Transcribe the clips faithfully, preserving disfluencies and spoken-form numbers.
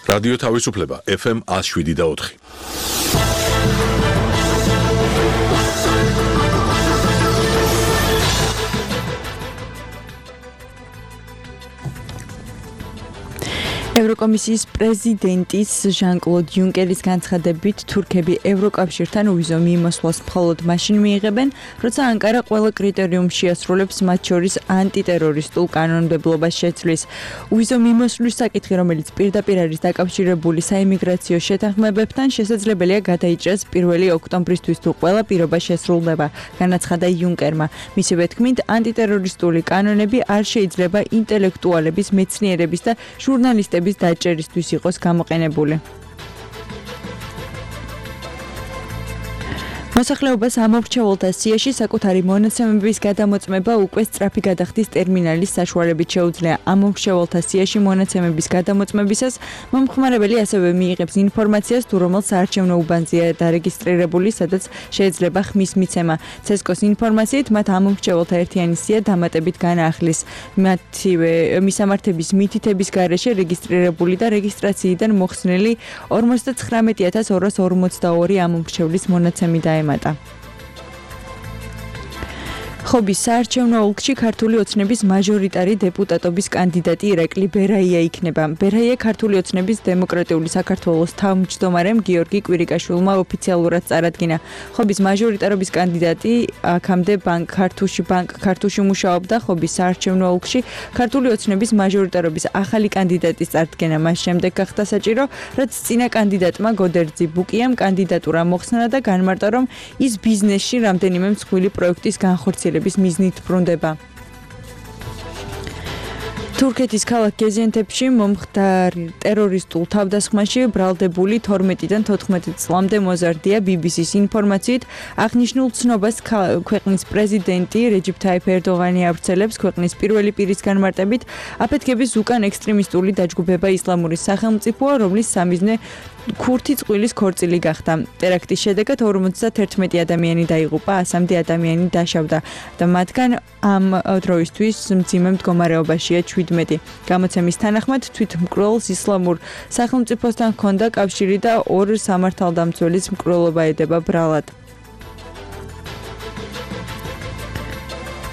რადიო თავისუფლება ეფ ემ one oh seven და four. ევროკომისიის პრეზიდენტის ჟან-კლოდ იუნკერის განცხადებით თურქები ევროკავშირთან უვიზო მიმოსვლას მხოლოდ მაშინ მიიღებენ, როცა ანკარა ყველა კრიტერიუმს შეასრულებს, მათ შორის ანტიტერორისტულ კანონმდებლობას შეცვლის. უვიზო მიმოსვლის საკითხი, რომელიც პირდაპირ არის დაკავშირებული საიმიგრაციო შეთანხმებებთან, შესაძლებელია გადაიჭრას პირველი ოქტომბრისთვის თუ ყველა პირობა შესრულდება, განაცხადა იუნკერმა. მისივე თქმით, ანტიტერორისტული კანონები არ შეიძლება ინტელექტუალების, მეცნიერების და ჟურნალისტების დაჭერისთვის იყოს გამოყენებული. მოსახლეობას ამორჩეულთა სიაში საკუთარი მონაცემების გადამოწმება უკვე სწრაფი გადახდის ტერმინალის საშუალებით შეუძლია. ამორჩეულთა სიაში მონაცემების გადამოწმებისას მომხმარებელი ასევე მიიღებს ინფორმაციას, თუ რომელ საარჩევნო უბანზეა დარეგისტრირებული, სადაც შეიძლება ხმის მიცემა. ცესკოს ინფორმაციით მათ ამორჩეულთა ერთიანი სია დამატებით განაახლის. მათივე მისამართების მითითების გარეშე რეგისტრირებული და რეგისტრაციიდან მოხსნილი ორმოცდათხრამეტი ათას ორას ორმოცდაორი ამორჩევლის მონაცემი დაემატა. ხობის საარჩევნო ოლქში ქართული ოცნების მაჟორიტარი დეპუტატობის კანდიდატი ირაკლი ბერაია იქნება. ბერაია ქართული ოცნების დემოკრატიული საქართველოს თავმჯდომარემ გიორგი კვირიკაშვილმა ოფიციალურად წარადგინა. ხობის მაჟორიტარობის კანდიდატი აქამდე ბანკ ქართულში ბანკ ქართულში მუშაობდა. ხობის საარჩევნო ოლქში ქართული ოცნების მაჟორიტარობის ახალი კანდიდატის წარდგენა მას შემდეგ გახდა საჭირო, რაც წინა კანდიდატმა გოდერძი ბუკიამ კანდიდატურა მოხსნა და განმარტა, რომ ის ბიზნესში რამდენიმე მსხვილი პროექტის განხორციელებას მიზნით ბრუნდება. თურქეთის ქალაქ გეზიანტეპში მომხდარ ტერორისტულ თავდასხმაში ბრალდებული თორმეტიდან თოთხმეტი წლამდე მოზარდია. ბი ბი სის ინფორმაციით, აღნიშნულ ცნობას ქვეყნის პრეზიდენტი რეჯიპ თაიფ ერდოღანი ავრცელებს. ქვეყნის პირველი პირის განმარტებით, აფეთქების უკან ექსტრემისტული დაჯგუფება ისლამური სახელმწიფოა, რომლის სამიზნე ქურთი წყვილის ქორწილი გახდა. ტერაქტის შედეგად ორმოცდაათერთმეტი ადამიანი დაიღუპა, ასამდე ადამიანი დაშავდა და მათგან ამ დროისთვის მძიმე მდგომარეობაშია შვიდმეტი. გამოცემის თანახმად თვითმკვლელს ისლამურ სახელმწიფოსთან ჰქონდა კავშირი და ორ სამართალდამცველის მკვლელობა ედება ბრალად.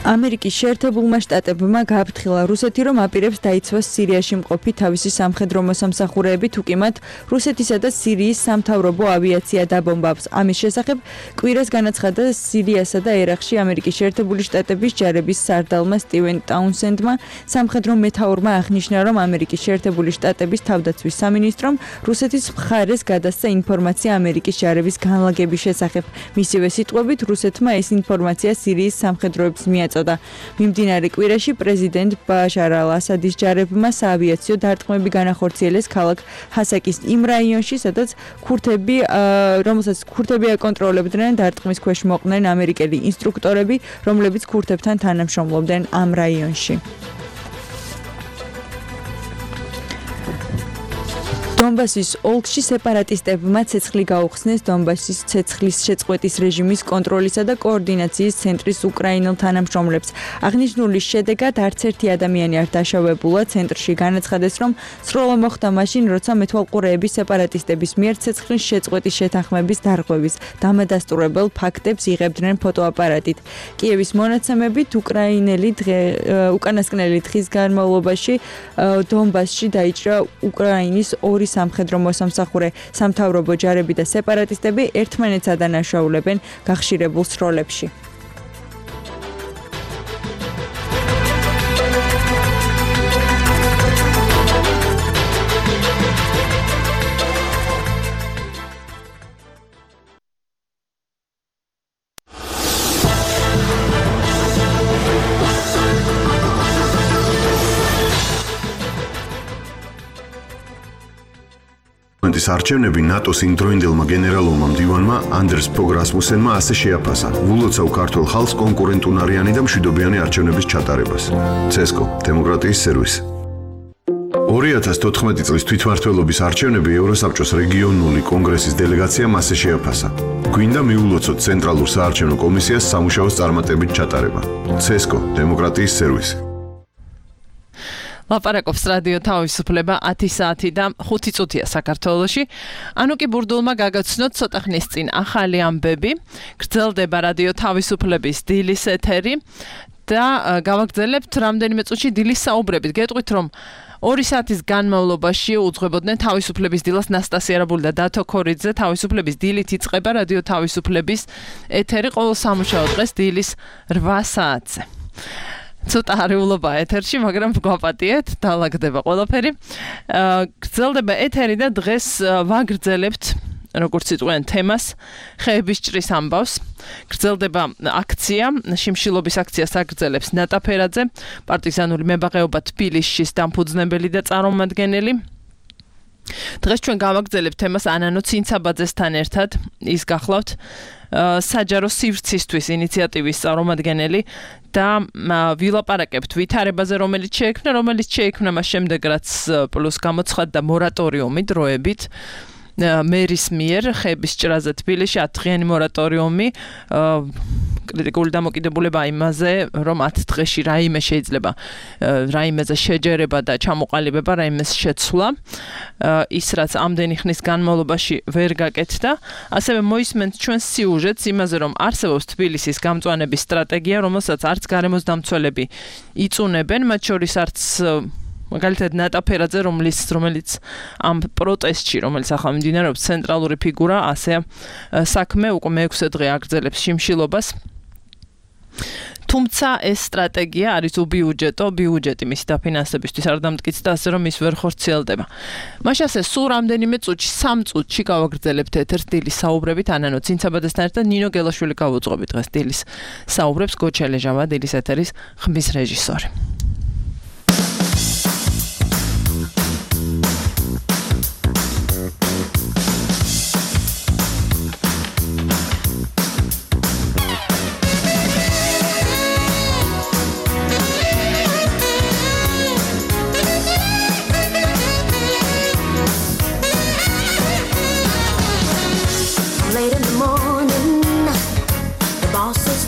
ამერიკის შეერთებულმა შტატებმა გააფრთხილა რუსეთი, რომ აპირებს დაიცვას სირიაში მყოფი თავისი სამხედრო მოსამსახურეები, თუ კი მათ რუსეთისა და სირიის სამთავრობო ავიაცია დაბომბავს. ამის შესახებ კვირას განაცხადა სირიასა და ერაყში ამერიკის შეერთებული შტატების ჯარების სარდალმა სტივენ ტაუნსენდმა. სამხედრო მეთაურმა აღნიშნა, რომ ამერიკის შეერთებული შტატების თავდაცვის სამინისტრომ რუსეთის მხარეს გადასცა ინფორმაცია ამერიკის ჯარების განლაგების შესახებ. მისივე სიტყვებით, რუსეთმა ეს ინფორმაცია სირიის სამხედროებს მიაწოდა. მიმდინარე კვირაში პრეზიდენტ ბაშარ ალ-ასადის ჯარებმა საავიაციო დარტყმები განახორციელეს ქალაქ ჰასაკის იმ რაიონში, სადაც ქურთები, რომელსაც ქურთები აკონტროლებდნენ, დარტყმის ქვეშ მოყვნენ ამერიკელი ინსტრუქტორები, რომლებიც ქურთებთან თანამშრომლობდნენ ამ რაიონში. დონბასის ოლქში სეპარატისტებმა ცეცხლი გაუხსნეს დონბასის ცეცხლის შეწყვეტის რეჟიმის კონტროლისა და კოორდინაციის ცენტრის უკრაინელ თანამშრომლებს. აღნიშნული შედეგად არც ერთი ადამიანი არ დაშავებულა. ცენტრში განაცხადეს, რომ სროლა მოხდა მაშინ, როცა მეთვალყურეები სეპარატისტების მიერ ცეცხლის შეწყვეტის შეთანხმების დარღვევის დამადასტურებელ ფაქტებს იღებდნენ ფოტოაპარატით. კიევის მონაცემებით უკრაინელი უკანასკნელი დღის განმავლობაში დონბასში დაიჭრა უკრაინის ორი სამხედრო მოსამსახურე. სამთავრობო ჯარები და სეპარატისტები ერთმანეთს ადანაშაულებენ გახშირებულ სროლებში. პარლამენტის არჩევნები ნატოს იმდროინდელმა გენერალურმა მდივანმა ანდერს ფოგ რასმუსენმა ასე შეაფასა ვულოცავ ქართულ ხალხს კონკურენტუნარიანი და მშვიდობიანი არჩევნების ჩატარებას. ცესკო, დემოკრატიის სერვისი. ორი ათას თოთხმეტი წლის თვითმმართველობის არჩევნები ევროსაბჭოს რეგიონული კონგრესის დელეგაციამ ასე შეაფასა. გვინდა მიულოცოთ ცენტრალურ საარჩევნო კომისიას სამუშაოს წარმატებით ჩატარება. ცესკო, დემოკრატიის სერვისი. ლაპარაკობს რადიო თავისუფლება ათი საათი და ხუთი წუთია საქართველოში. ანუ კი ბურდულმა გაგაცნოთ ცოტა ხნის წინ ახალი ამბები. გრძელდება რადიო თავისუფლების დილის ეთერი და გავაგრძელებთ რამდენიმე წუთში დილის საუბრებით. გეტყვით რომ ორი საათის განმავლობაში უძღვებოდნენ თავისუფლების დილას ნასტასია რაბული და დათო ქორიძე. თავისუფლების დილით იწყება რადიო თავისუფლების ეთერი ყოველ სამუშაო დღეს დილის რვა საათზე. ცოტა არეულობა ეთერში, მაგრამ გვაპატიეთ, დაალაგდება ყველაფერი. გრძელდება ეთერი და დღეს ვაგრძელებთ როგორც იტყვიან თემას, ხეების ჭრის ამბავს. გრძელდება აქცია, შიმშილობის აქციას აგრძელებს ნატა ფერაძე, პარტიზანული მებაღეობა თბილისის დამფუძნებელი და წარმომადგენელი. დღეს ჩვენ გავაგრძელებთ თემას ანანო ცინცაბაძესთან ერთად, ის გახლავთ საჯარო სივრცისთვის ინიციატივის წარმომადგენელი და ვილაპარაკებთ ვითარებაზე, რომელიც შეექმნა, რომელიც შეექმნა მას შემდეგ, რაც პლუს გამოცხადდა მორატორიუმი დროებით. მერის მიერ ხეების ჭრაზე თბილისში ათდღიანი მორატორიუმი, კრიტიკული დამოკიდებულება იმაზე, რომ ათ დღეში რაიმე შეიძლება რაიმეზე შეჯერება და ჩამოყალიბება, რაიმეს შეცვლა, ის რაც ამდენი ხნის განმავლობაში ვერ გაკეთდა. ასევე მოისმენთ ჩვენ სიუჟეტს იმაზე, რომ არსებობს თბილისის გამწვანების სტრატეგია, რომელსაც არც გარემოს დამცველები იწუნებენ, მათ შორის არც მაგალითად ნატა ფერაძე, რომელიც რომელიც ამ პროტესტში, რომელიც ახლა მიმდინარეობს, ცენტრალური ფიგურა, ასე საქმე უკვე მეექვსე დღე აგრძელებს შიმშილობას. თუმცა ეს სტრატეგია არის უბიუჯეტო, ბიუჯეტი მისი დაფინანსებისთვის არ დამტკიცდა, ასე რომ ის ვერ ხორციელდება. მაშინ ასე სულ რამდენიმე წუთში, სამ წუთში გავაგრძელებთ ეთერს დილის საუბრებით ანანო ცინცაბაძესთან ერთად. ნინო გელაშვილი გავუძღვებით დღეს დილის საუბრებს, გოჩელეჟავა დილის ეთერის ხმის რეჟისორი.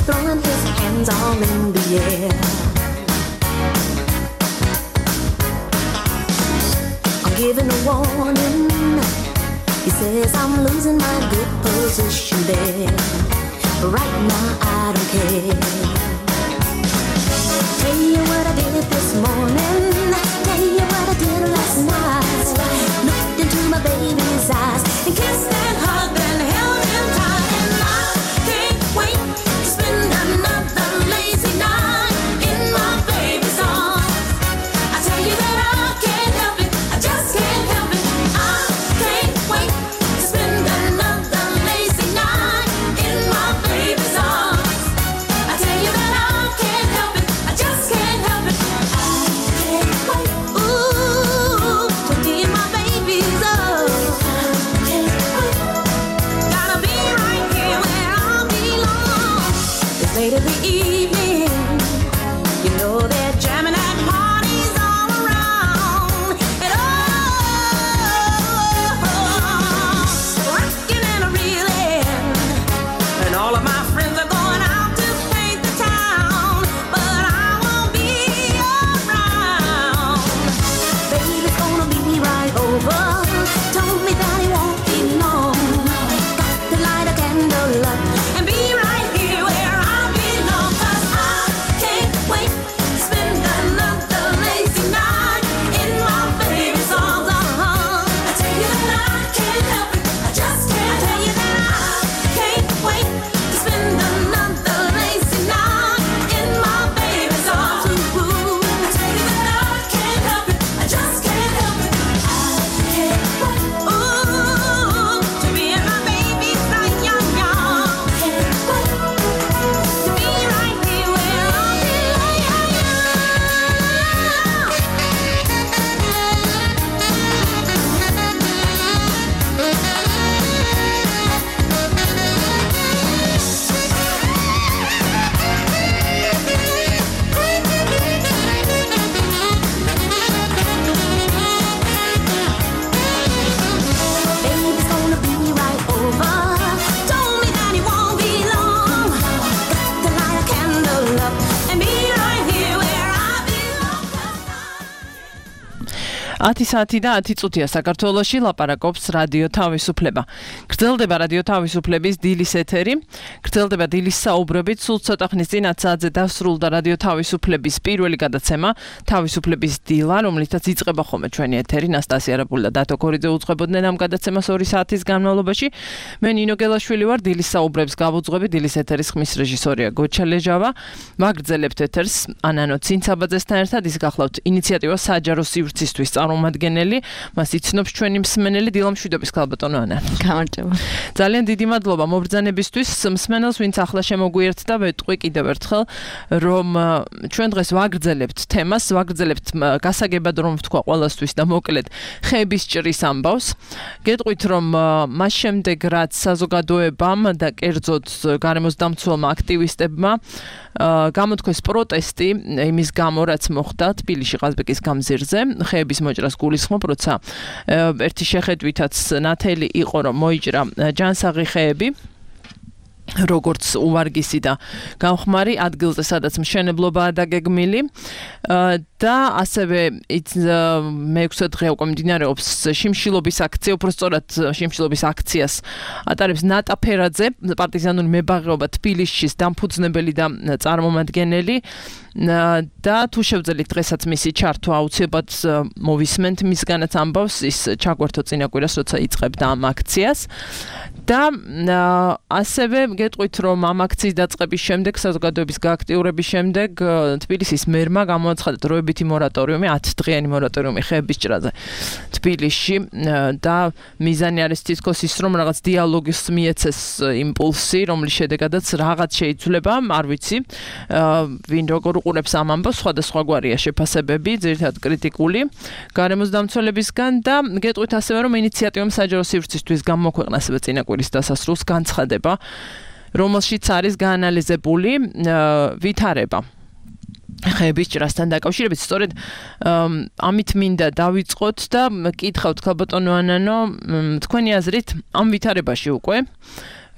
Throwing his hands all in the air. I'm giving a warning. He says I'm losing my good position there. But right now I don't care. Tell you what I did this morning. Tell you what I did last night. Looked into my baby's eyes and kissed and hugged and held him tight. And I can't wait. Another lazy night in my baby's arms. I tell you that I can't help it, I just can't help it. I can't wait to spend another lazy night in my baby's arms. I tell you that I can't help it, I just can't help it. I can't wait, ooh, to be in my baby's arms. I can't wait, gotta be right here where I belong. It's late in the evening, you know they're jamming at parties all around. And oh, rocking and a reeling, and all of my friends are going out to paint the town, but I won't be around. Baby's gonna be right over, told me that he won't be long. Got to light a candle up and be right here where I belong. 'Cause I can't wait to spend ათი საათი და ათი წუთია საქართველოში ლაპარაკობს რადიო თავისუფლება. გრძელდება რადიო თავისუფლების დილის ეთერი. გრძელდება დილის საუბრებით. სულ ცოტა ხნის წინ ათ საათზე დასრულდა რადიო თავისუფლების პირველი გადაცემა თავისუფლების დილა, რომლითაც იწყება ხოლმე ჩვენი ეთერი. ნასტასია არაპული და დათო ქორიძე უძღვებოდნენ ამ გადაცემას ორი საათის განმავლობაში. მე ნინო გელაშვილი ვარ, დილის საუბრებს გავუძღვები. დილის ეთერის ხმის რეჟისორია გოჩა ლეჟავა. ვაგრძელებთ ეთერს ანანო ცინცაბაძესთან ერთად. ის გახლავთ ინიციატივა საჯარო სივრცისთვის წარმომადგენელი, მას იცნობს ჩვენი მსმენელი დილა მშვიდობის ქალბატონო ანა. გამარჯობა. ძალიან დიდი მადლობა მობრძანებისთვის მსმენელს, ვინც ახლა შემოგვიერთდა. ვეტყვი კიდევ ერთხელ, რომ ჩვენ დღეს ვაგრძელებთ თემას, ვაგრძელებთ გასაგებად რომ ვთქვა ყველასთვის და მოკლედ ხეების ჭრის ამბავს. გეტყვით, რომ მას შემდეგ რაც საზოგადოებამ და კერძოდ გარემოს დამცველმა აქტივისტებმა გამოთქვეს პროტესტი იმის გამო, რაც მოხდა თბილისში ყაზბეგის გამზირზე, ხეების მოჭრას გულისხმობ, როცა ერთი შეხედვითაც ნათელი იყო, რომ მოიჭრა ჯანსაღი ხეები, როგორც უვარგისი და გამხმარი ადგილზე, სადაც მშენებლობაა დაგეგმილი და ასევე მეექვსე დღე უკვე მიმდინარეობს შიმშილობის აქცია, უпростоრად შიმშილობის აქციას ატარებს ნატა ფერაძე, პარტიზანული მებაღეობა თბილისის დამფუძნებელი და წარმომადგენელი და თუ შევძელით დღესაც მისი ჩართვა აუცილებლად მოვისმენთ მისგანაც ამბავს, ის ჩაგვერთო წინა კვირას, როცა იწყებდა ამ აქციას და ასევე გეტყვით, რომ ამ აქციის დაწყების შემდეგ, საზოგადოების გააქტიურების შემდეგ თბილისის მერმა გამოაცხადა დროებითი მორატორიუმი, ათი დღიანი მორატორიუმი ხეების ჭრაზე თბილისში და მიზანი არის თითქოს ის, რომ რაღაც დიალოგის მიეცეს იმპულსი, რომლის შედეგადაც რაღაც შეიცვლება, არ ვიცი, ვინ როგორ უყურებს ამ ამბავს, სხვადასხვაგვარია შეფასებები, ძირითადად კრიტიკული გარემოს დამცველებისგან და გეტყვით ასევე, რომ ინიციატივამ საჯარო სივრცისთვის გამოქვეყნა ასევე წინა კვირის დასასრულს განცხადება, რომელშიც არის გაანალიზებული ვითარება ხეების ჭრასთან დაკავშირებით. სწორედ ამით მინდა დავიწყოთ და კითხავთ ქალბატონო ანანო, თქვენი აზრით ამ ვითარებაში უკვე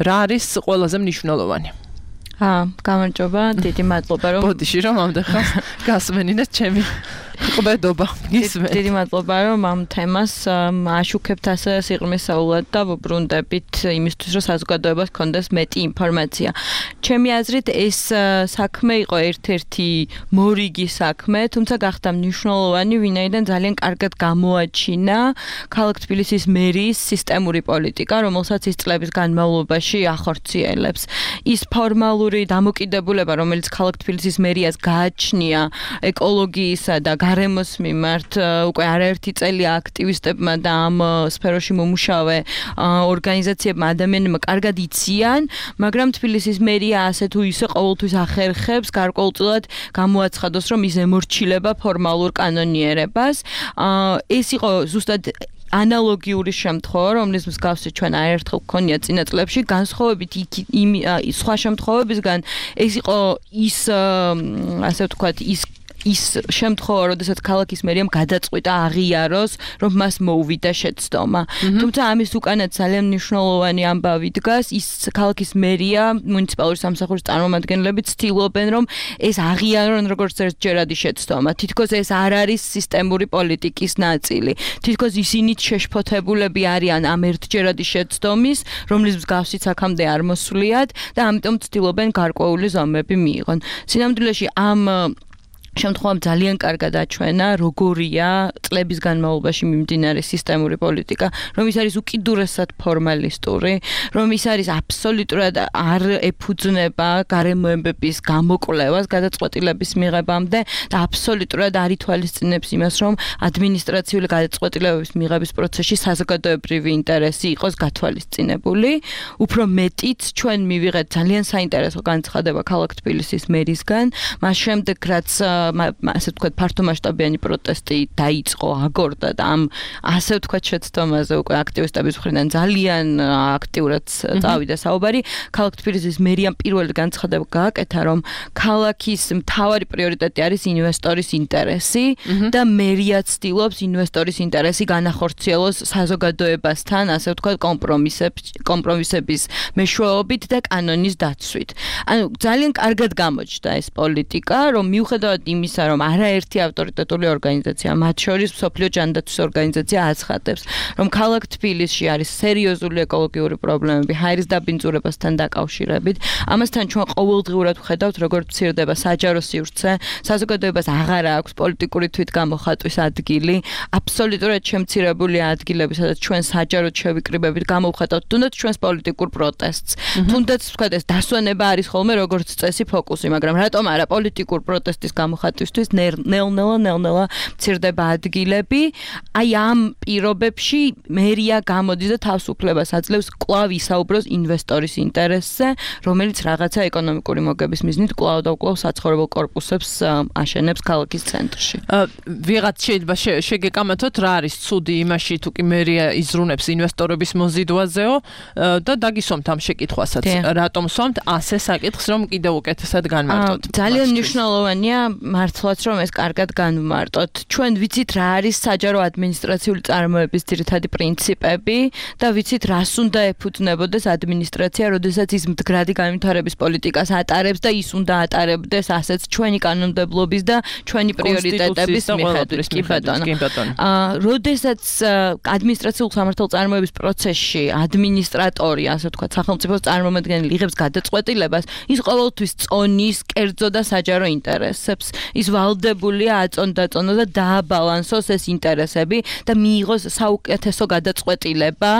რა არის ყველაზე მნიშვნელოვანი? აა, გამარჯობა, დიდი მადლობა რომ ბოდიში რომ ამდახას გასმენინეთ ჩემი ყბედობა გისმენთ. დიდი მადლობა რომ ამ თემას აშუქებთ ასე სიღრმისეულად და ვუბრუნდებით იმისთვის, რომ საზოგადოებას ჰქონდეს მეტი ინფორმაცია. ჩემი აზრით ეს საქმე იყო ერთ-ერთი მორიგი საქმე, თუმცა გახდა მნიშვნელოვანი, ვინაიდან ძალიან კარგად გამოაჩინა ქალაქ თბილისის მერის სისტემური პოლიტიკა, რომელსაც ის წლების განმავლობაში ახორციელებს. ის ფორმალური დამოკიდებულება, რომელიც ქალაქ თბილისის მერიას გააჩნია ეკოლოგიისა და გარემოს მიმართ, უკვე არაერთი წელი აქტივისტებმა და ამ სფეროში მომუშავე ორგანიზაციებმა, ადამიანებმა კარგად იციან, მაგრამ თბილისის მერია ასე თუ ისე ყოველთვის ახერხებს გარკვეულწილად გამოაცხადოს, რომ ის ემორჩილება ფორმალურ კანონიერებას. ეს იყო ზუსტად ანალოგიური შემთხვევა, რომლის მსგავსი ჩვენ არაერთხელ გქონია წინა წლებში, განსხვავებით იმ სხვა შემთხვევებისგან, ეს იყო ის ასე ვთქვათ, ის ის შემთხვევა, როდესაც ქალაქის მერიამ გადაწყვიტა აღიაროს, რომ მას მოუვიდა შეცდომა. თუმცა ამის უკანაც ძალიან მნიშვნელოვანი ამბავი დგას, ის ქალაქის მერია, მუნიციპალური სამსახურის წარმომადგენლები ცდილობენ, რომ ეს აღიარონ როგორც ერთჯერადი შეცდომა. თითქოს ეს არ არის სისტემური პოლიტიკის ნაწილი. თითქოს ისინიც შეშფოთებულები არიან ამ ერთჯერადი შეცდომის, რომლის მსგავსიც აქამდე არ მოსვლიათ და ამიტომ ცდილობენ გარკვეული ზომები მიიღონ. სინამდვილეში ამ შემთხვევამ ძალიან კარგად აჩვენა, როგორია წლების განმავლობაში მიმდინარე სისტემური პოლიტიკა, რომ ის არის უკიდურესად ფორმალისტური, რომ ის არის აბსოლუტურად არ ეფუძნება გარემოებების გამოკვლევას, გადაწყვეტილების მიღებამდე და აბსოლუტურად არ ითვალისწინებს იმას, რომ ადმინისტრაციული გადაწყვეტილებების მიღების პროცესში საზოგადოებრივი ინტერესი იყოს გათვალისწინებული. უფრო მეტიც ჩვენ მივიღეთ ძალიან საინტერესო განცხადება ქალაქ თბილისის მერისგან, მას შემდეგ რაც ასე ვთქვათ, ფართომასშტაბიანი პროტესტი დაიწყო, აგორდა და ამ ასე ვთქვათ შეცდომაზე უკვე აქტივისტების მხრიდან ძალიან აქტიურად წავიდა საუბარი. ქალაქ თბილისის მერიამ პირველი განცხადება გააკეთა, რომ ქალაქის მთავარი პრიორიტეტი არის ინვესტორის ინტერესი და მერია ცდილობს ინვესტორის ინტერესი განახორციელოს საზოგადოებასთან, ასე ვთქვათ, კომპრომისების მეშვეობით და კანონის დაცვით. ანუ ძალიან კარგად გამოჩნდა ეს პოლიტიკა, რომ მიუხედავად იმისა, რომ არაერთი ავტორიტეტული ორგანიზაცია, მათ შორის მსოფლიო ჯანდაცვის ორგანიზაცია აცხადებს, რომ ქალაქ თბილისში არის სერიოზული ეკოლოგიური პრობლემები ჰაერის დაბინძურებასთან დაკავშირებით. ამასთან ჩვენ ყოველდღიურად ვხედავთ, როგორც მცირდება საჯარო სივრცე, საზოგადოებას აღარ აქვს პოლიტიკური თვითგამოხატვის ადგილი, აბსოლუტურად შემცირებულია ადგილები, სადაც ჩვენ საჯაროდ შევიკრიბებით გამოვხატავთ თუნდაც ჩვენს პოლიტიკურ პროტესტს. თუნდაც ვთქვათ, ეს დასვენება არის ხოლმე როგორც წესი ფოკუსი, მაგრამ რატომ არა პოლიტიკურ პროტესტის გამოხატვისთვის ნელ-ნელა ნელ-ნელა მცირდება ადგილები. აი ამ პირობებში მერია გამოდის და თავისუფლებას აძლევს კვლავ ისაუბროს ინვესტორის ინტერესზე, რომელიც რაღაცა ეკონომიკური მოგების მიზნით კვლავ და კვლავ საცხოვრებელ კორპუსებს აშენებს ქალაქის ცენტრში. ვიღაც შეიძლება შეგეკამათოთ რა არის ცუდი იმაში თუ კი მერია იზრუნებს ინვესტორების მოზიდვაზეო და დაგისვამთ ამ შეკითხვასაც. რატომ სვამთ ასე საკითხს, რომ კიდევ უკეთესად განმარტოთ? ძალიან მნიშვნელოვანია მართლაც რომ ეს კარგად განვმარტოთ. ჩვენ ვიცით რა არის საჯარო ადმინისტრაციული წარმოების ძირითადი პრინციპები და ვიცით რას უნდა ეფუძნებოდეს ადმინისტრაცია, როდესაც ის მდგრადი განვითარების პოლიტიკას ატარებს და ის უნდა ატარებდეს ასეც ჩვენი კანონმდებლობის და ჩვენი პრიორიტეტების მიხედვით. კი ბატონო. აა როდესაც ადმინისტრაციულ სამართალწარმოების პროცესში ადმინისტრატორი, ასე ვთქვათ, სახელმწიფოს წარმომადგენელი იღებს გადაწყვეტილებას, ის ყოველთვის წონის, კერძო და საჯარო ინტერესებს. ის ვალდებულია აწონდაწონოს და დააბალანსოს ეს ინტერესები და მიიღოს საუკეთესო გადაწყვეტილება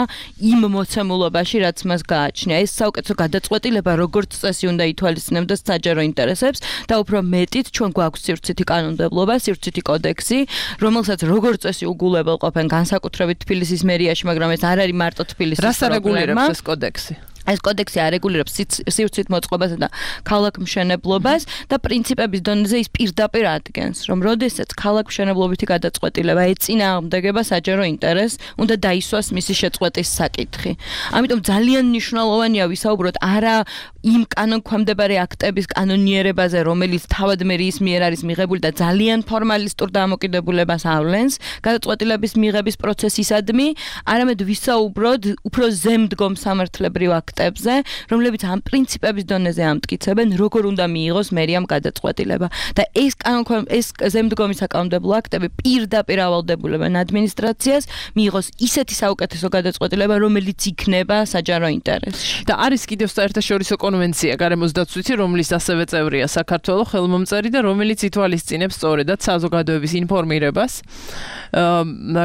იმ მოცემულობაში, რაც მას გააჩნია. ეს საუკეთესო გადაწყვეტილება როგორც წესი უნდა ითვალისწინებდეს საჯარო ინტერესებს და უფრო მეტით ჩვენ გვაქვს სივრცითი კანონმდებლობა, სივრცითი კოდექსი, რომელსაც როგორც წესი უგულებელყოფენ განსაკუთრებით თბილისის მერიაში, მაგრამ ეს არ არის მარტო თბილისის პრობლემა. რას არეგულირებს ეს კოდექსი? ეს კოდექსი არეგულირებს სივრცით მოწყობასა და ქალაქმშენებლობას და პრინციპების დონეზე ის პირდაპირ ადგენს, რომ როდესაც ქალაქმშენებლობითი გადაწყვეტილება ეწინააღმდეგება საჯარო ინტერესს, უნდა დაისვას მისი შეწყვეტის საკითხი. ამიტომ ძალიან მნიშვნელოვანია ვისაუბროთ არა იმ კანონქვემდებარე აქტების კანონიერებაზე, რომელიც თავად მერიის მიერ არის მიღებული და ძალიან ფორმალისტურ დამოკიდებულებას ავლენს გადაწყვეტილების მიღების პროცესისადმი, არამედ ვისაუბროთ უფრო ზემდგომ სამართლებრივ აქტებზე, რომლებიც ამ პრინციპების დონეზე ამტკიცებენ, როგორ უნდა მიიღოს მერიამ გადაწყვეტილება. და ეს კანონქვემ ეს ზემდგომი საკანონმდებლო აქტები პირდაპირ ავალდებულებენ ადმინისტრაციას მიიღოს ისეთი საუკეთესო გადაწყვეტილება, რომელიც იქნება საჯარო ინტერესში. და არის კიდევ საერთაშორისო კონვენცია გარემოს დაცვითი, რომლის ასევე წევრია საქართველოს ხელმომწერი და რომელიც ითვალისწინებს სწორედად საზოგადოების ინფორმირებას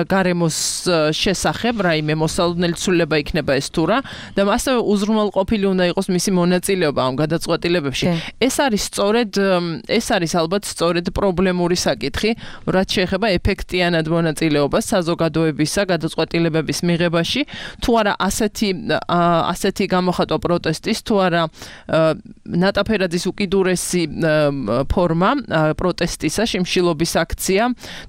გარემოს შესახებ, რაიმე მოსალოდნელი ცვლილება იქნება ეს თუ რა და ასევე უზრუნველყოფილი უნდა იყოს მისი მონაწილეობა ამ გადაწყვეტილებებში. ეს არის სწორედ ეს არის ალბათ სწორედ პრობლემური საკითხი, რაც შეეხება ეფექტიანად მონაწილეობას საზოგადოებისა გადაწყვეტილებების მიღებაში, თუ არა ასეთი ასეთი გამოხატვა პროტესტის, თუ არა ნატაფერაძის უკიდურესი ფორმა პროტესტისა, შიმშილობის აქცია,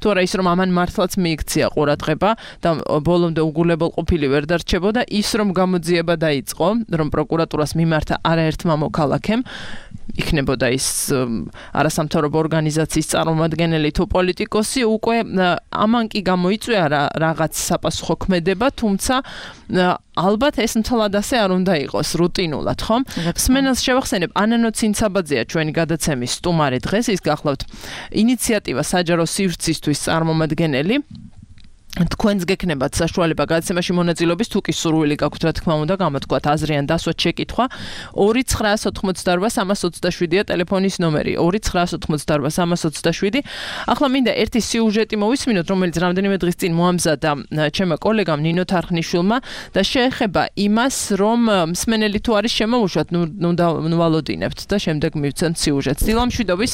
თუ არა ის რომ ამან მართლაც მიიქცია ყურადღება და ბოლომდე უგულებელყოფილი ვერ დარჩებოდა, ის რომ გამოძიება დაიწყო, რომ პროკურატურას მიმართა არაერთმა მოქალაქემ, იქნებოდა ის არასამთავრობო ორგანიზაციის წარმომადგენელი თუ პოლიტიკოსი, უკვე ამან კი გამოიწვია რაღაც საპასუხო ქმედება, თუმცა ალბათ ეს მთლად ასე არ უნდა იყოს რუტინულად, ხომ? სმენელს შევახსენებ, ანანო ცინცაბაძეა ჩვენი გადაცემის სტუმარი დღეს, ის გახლავთ ინიციატივა საჯარო სივრცისთვის წარმომადგენელი. თქვენს გექნებათ საშუალება გადაცემაში მონაწილეობის, თუ კი სურვილი გაქვთ, რა თქმა უნდა, გამოთქვათ აზრი ან დასვათ შეკითხვა. ორი ცხრაას ოცდაოთხმოცდაორბა სამას ოცდაშვიდია ტელეფონის ნომერი. ორი ცხრაას ოცდაოთხმოცდაორბა სამას ოცდაშვიდი. ახლა მინდა ერთი სიუჟეტი მოვისმინოთ, რომელიც რამდენიმე დღის წინ მოამზადა ჩემმა კოლეგამ ნინო თარხნიშვილმა და შეეხება იმას, რომ მსმენელი თუ არის შემოუშვათ, ნუ ვალოდინებთ და შემდეგ მივცემთ სიუჟეტს. დილამშვიდობის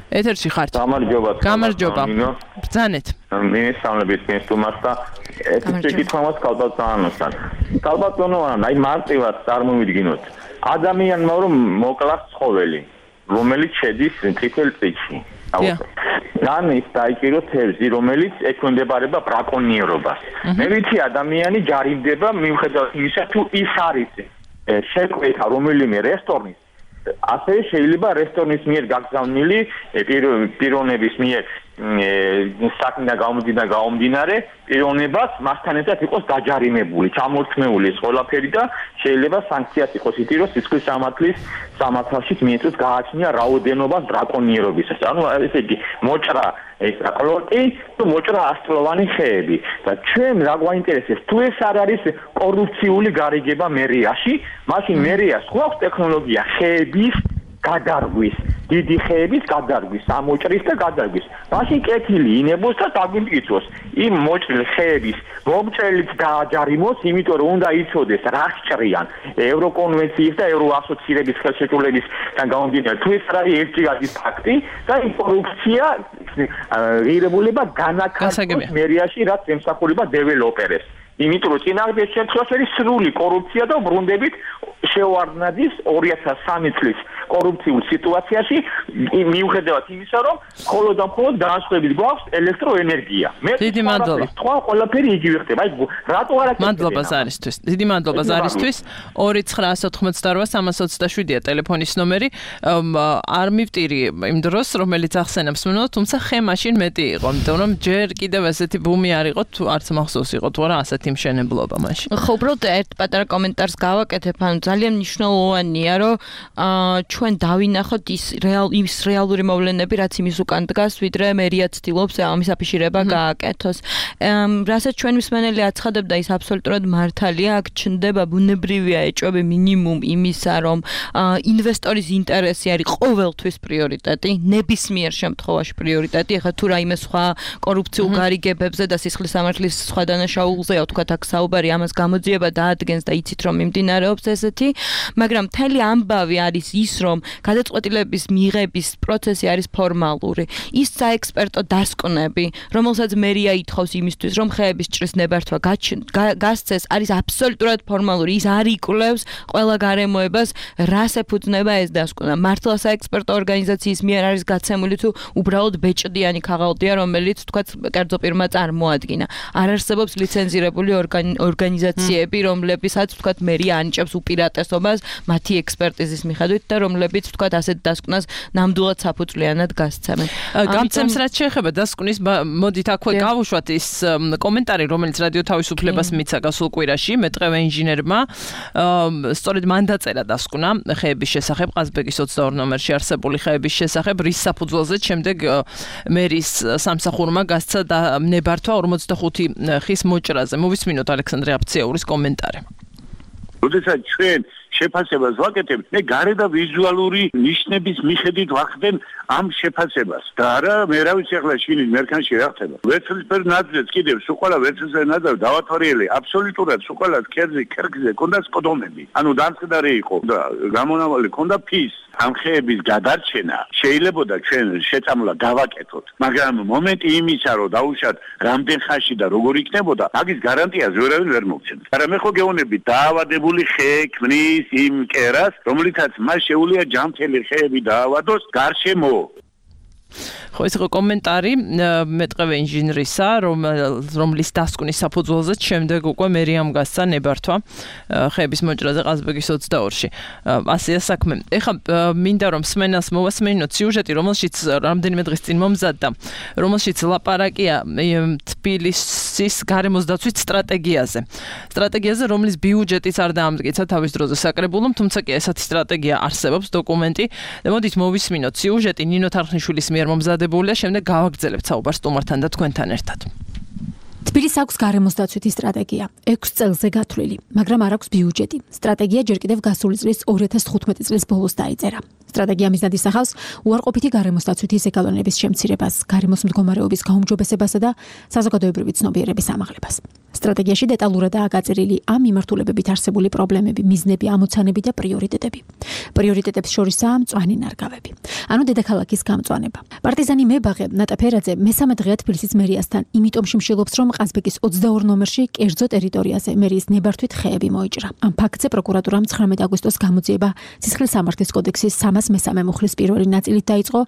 ეთერში ხართ. გამარჯობა. გამარჯობა. ბრძანეთ. მინისტრალების მისტუმარს და ეს შეკითხვამაც ქალბატონოსთან. ქალბატონოვან, აი მარტივად წარმოვიდგინოთ. ადამიანმა რომ მოკლას ცხოველი, რომელიც შედის წითელ წიგნში. ან ის დაიჭირო თევზი, რომელიც ექვემდებარება ბრაკონიერობას. მე ვიცი ადამიანი ჯარიმდება მიუხედავად იმისა, თუ ის არის შეკვეთა რომელიმე რესტორნის, ასე შეიძლება რესტორნის მიერ გაგზავნილი პიროვნების მიერ საქმე გამომდინა გამომდინარე პიროვნებას მასთან ერთად იყოს დაჯარიმებული, ჩამორთმეული ეს ყველაფერი და შეიძლება სანქციაც იყოს ითი რომ სისხლის სამართლის სამართალშიც მიეწოს გააჩნია რაოდენობა დრაკონიერობისას. ანუ ესე იგი მოჭრა ეს აკლოტი თუ მოჭრა ასწლოვანი ხეები და ჩვენ რა გვაინტერესებს თუ ეს არ არის კორუფციული გარიგება მერიაში, მაშინ მერიას გვაქვს ტექნოლოგია ხეების გადარგვის, დიდი ხეების გადარგვის, ამოჭრის და გადარგვის. მაშინ კეთილი ინებოს და დაგვიმტკიცოს იმ მოჭრილ ხეების მომჭრელიც დააჯარიმოს, იმიტომ რომ უნდა იცოდეს რა სჭრიან ევროკონვენციის და ევროასოცირების ხელშეკრულებისგან გამომდინარე. თუ ეს არის ერთჯერადი ფაქტი და იმ კორუფცია ღირებულება განაცხადოს მერიაში, რაც ემსახურება დეველოპერებს. იმიტომ რომ წინააღმდეგ შემთხვევაში არის სრული კორუფცია და ბრუნდებით შეوارდნაძის ორი ათას სამი წლის კორუფციულ სიტუაციაში მიუხედავად იმისა რომ მხოლოდ და მხოლოდ განსხვავებით გვაქვს ელექტროენერგია. მე დიდი მადლობა. თქვა ყველაფერი იგივე ხდება. აი რატო არ აქ მადლობა ზარისთვის. დიდი მადლობა ზარისთვის. ორი ცხრა ათოთხმოცდაოთხ სამას ოცდაშვიდია ტელეფონის ნომერი. არ მივტირი იმ დროს რომელიც ახსენებს მომნო, თუმცა ხე მაშინ მეტი იყო, იმიტომ რომ ჯერ კიდევ ესეთი ბუმი არ იყო, თუ არც მახსოვს იყო თუ არა ასეთი მშენებლობა მაშინ. ხო, უბრალოდ ერთ პატარა კომენტარს გავაკეთებ, ანუ ძალიან მნიშვნელოვანია, რომ ჩვენ დავინახოთ ის რეალ ის რეალური მოვლენები, რაც იმის უკან დგას, ვიდრე მერია ცდილობს ამის აფიშირება გააკეთოს. რასაც ჩვენ მსმენელი აცხადებდა, ის აბსოლუტურად მართალია, აქ ჩნდება ბუნებრივია ეჭვები მინიმუმ იმისა, რომ ინვესტორის ინტერესი არის ყოველთვის პრიორიტეტი, ნებისმიერ შემთხვევაში პრიორიტეტი. ეხლა თუ რაიმე სხვა კორუფციულ გარიგებებზე და სისხლის სამართლის სხვა დანაშაულზეა თქვათ აქ საუბარი, ამას გამოძიება დაადგენს და იცით რომ მიმდინარეობს ესეთი, მაგრამ მთელი ამბავი არის ის, რომ გადაწყვეტილების მიღების პროცესი არის ფორმალური. ის საექსპერტო დასკვნები, რომელსაც მერია ითხოვს იმისთვის, რომ ხეების ჭრის ნებართვა გასცეს, არის აბსოლუტურად ფორმალური. ის არ იკვლევს ყველა გარემოებას, რას ეფუძნება ეს დასკვნა. მართლა საექსპერტო ორგანიზაციის მიერ არის გაცემული თუ უბრალოდ ბეჭდიანი ქაღალდია, რომელიც თქვათ კერძო პირმა წარმოადგინა. არ არსებობს ლიცენზირებული ორგანიზაციები, რომლებსაც თქვათ მერია ანიჭებს უპირატესობას მათი ექსპერტიზის მიხედვით და რომლებიც თქვათ ასეთ დასკვნას ნამდვილად საფუძვლიანად გასცემენ. გამცემს რაც შეეხება დასკვნის, მოდით აქვე გავუშვათ ის კომენტარი, რომელიც რადიო თავისუფლებას მიცა გასულ კვირაში მეტყევე ინჟინერმა, სწორედ მან დაწერა დასკვნა ხეების შესახებ, ყაზბეგის ოცდაორი ნომერში არსებული ხეების შესახებ, რის საფუძველზე შემდეგ მერის სამსახურმა გასცა ნებართვა ორმოცდახუთი ხის მოჭრაზე. მოვისმინოთ ალექსანდრე აფციაურის კომენტარი. როდესაც ჩვენ შეფასებას ვაკეთებ, მე გარე და ვიზუალური ნიშნების მიხედვით ვახდენ ამ შეფასებას. და არა, მე რა ვიცი ახლა შინის მერქანში რა ხდება. ვერცხლისფერ ნაძვებს კიდევ სუყალა ვერცხლისფერ ნაძვებს დავათვალიერე, აბსოლუტურად სუყალა ქერზე, ქერგზე კონდა სკოდომები. ანუ დამწყდარი იყო და გამონავალი კონდა ფის. ამ ხეების გადარჩენა შეიძლებოდა ჩვენ შეწამლა დავაკეთოთ, მაგრამ მომენტი იმისა, რომ დაუშვათ რამდენ ხანში და როგორ იქნებოდა, მაგის გარანტიას ვერავინ ვერ მოგცემს. მაგრამ მე ხო გეუბნები, დაავადებული ხე ქმნის იმ კერას, რომლითაც მას შეუძლია ჯანმრთელი ხეები დაავადოს გარშემო. ხო, ეს იყო კომენტარი მეტყევე ინჟინრისა, რომლის დასკვნის საფუძველზე შემდეგ უკვე მერიამ გასცა ნებართვა ხეების მოჭრაზე ყაზბეგის ოცდაორში. ასეა საქმე. ეხლა მინდა რომ მსმენელს მოვასმინოთ სიუჟეტი, რომელშიც რამდენიმე დღის წინ მომზადდა, რომელშიც ლაპარაკია თბილისის გარემოს დაცვის სტრატეგიაზე. სტრატეგიაზე, რომლის ბიუჯეტიც არ დაამტკიცა თავის დროზე საკრებულომ, თუმცა კი ესეთი სტრატეგია არსებობს, დოკუმენტი. მოდით მოვისმინოთ სიუჟეტი ნინო თარხნიშვილის მიერ მომზადებულია, შემდეგ გავაგრძელებთ საუბარს სტუმართან და თქვენთან ერთად. თბილისს აქვს გარემოს დაცვითი სტრატეგია, ექვს წელზე გათვლილი, მაგრამ არ აქვს ბიუჯეტი. სტრატეგია ჯერ კიდევ გასული წლის ორი ათას თხუთმეტი წლის ბოლოს დაიწერა. სტრატეგია მიზნად ისახავს უარყოფითი გარემოს დაცვითი ზეგავლენების შემცირებას, გარემოს მდგომარეობის გაუმჯობესებასა და საზოგადოებრივი ცნობიერების ამაღლებას. სტრატეგიაში დეტალურადაა გაწერილი ამ მიმართულებებით არსებული პრობლემები, მიზნები, ამოცანები და პრიორიტეტები. პრიორიტეტებს შორისაა მწვანე ნარგავები. ანუ დედაქალაქის გამწვანება. პარტიზანი მებაღე ნატა ფერაძე მესამე დღეა თბილისის მერიასთან, იმიტომ შიმშილობს, რომ ყაზბეგის ოცდაორი ნომერში კერძო ტერიტორიაზე მერიის ნებართვით ხეები მოიჭრა. ამ ფაქტზე პროკურატურამ ცხრამეტი აგვისტოს გამოძიება სისხლის სამართლის კოდექსის სამას მესამე მუხლის პირველი ნაწილით დაიწყო,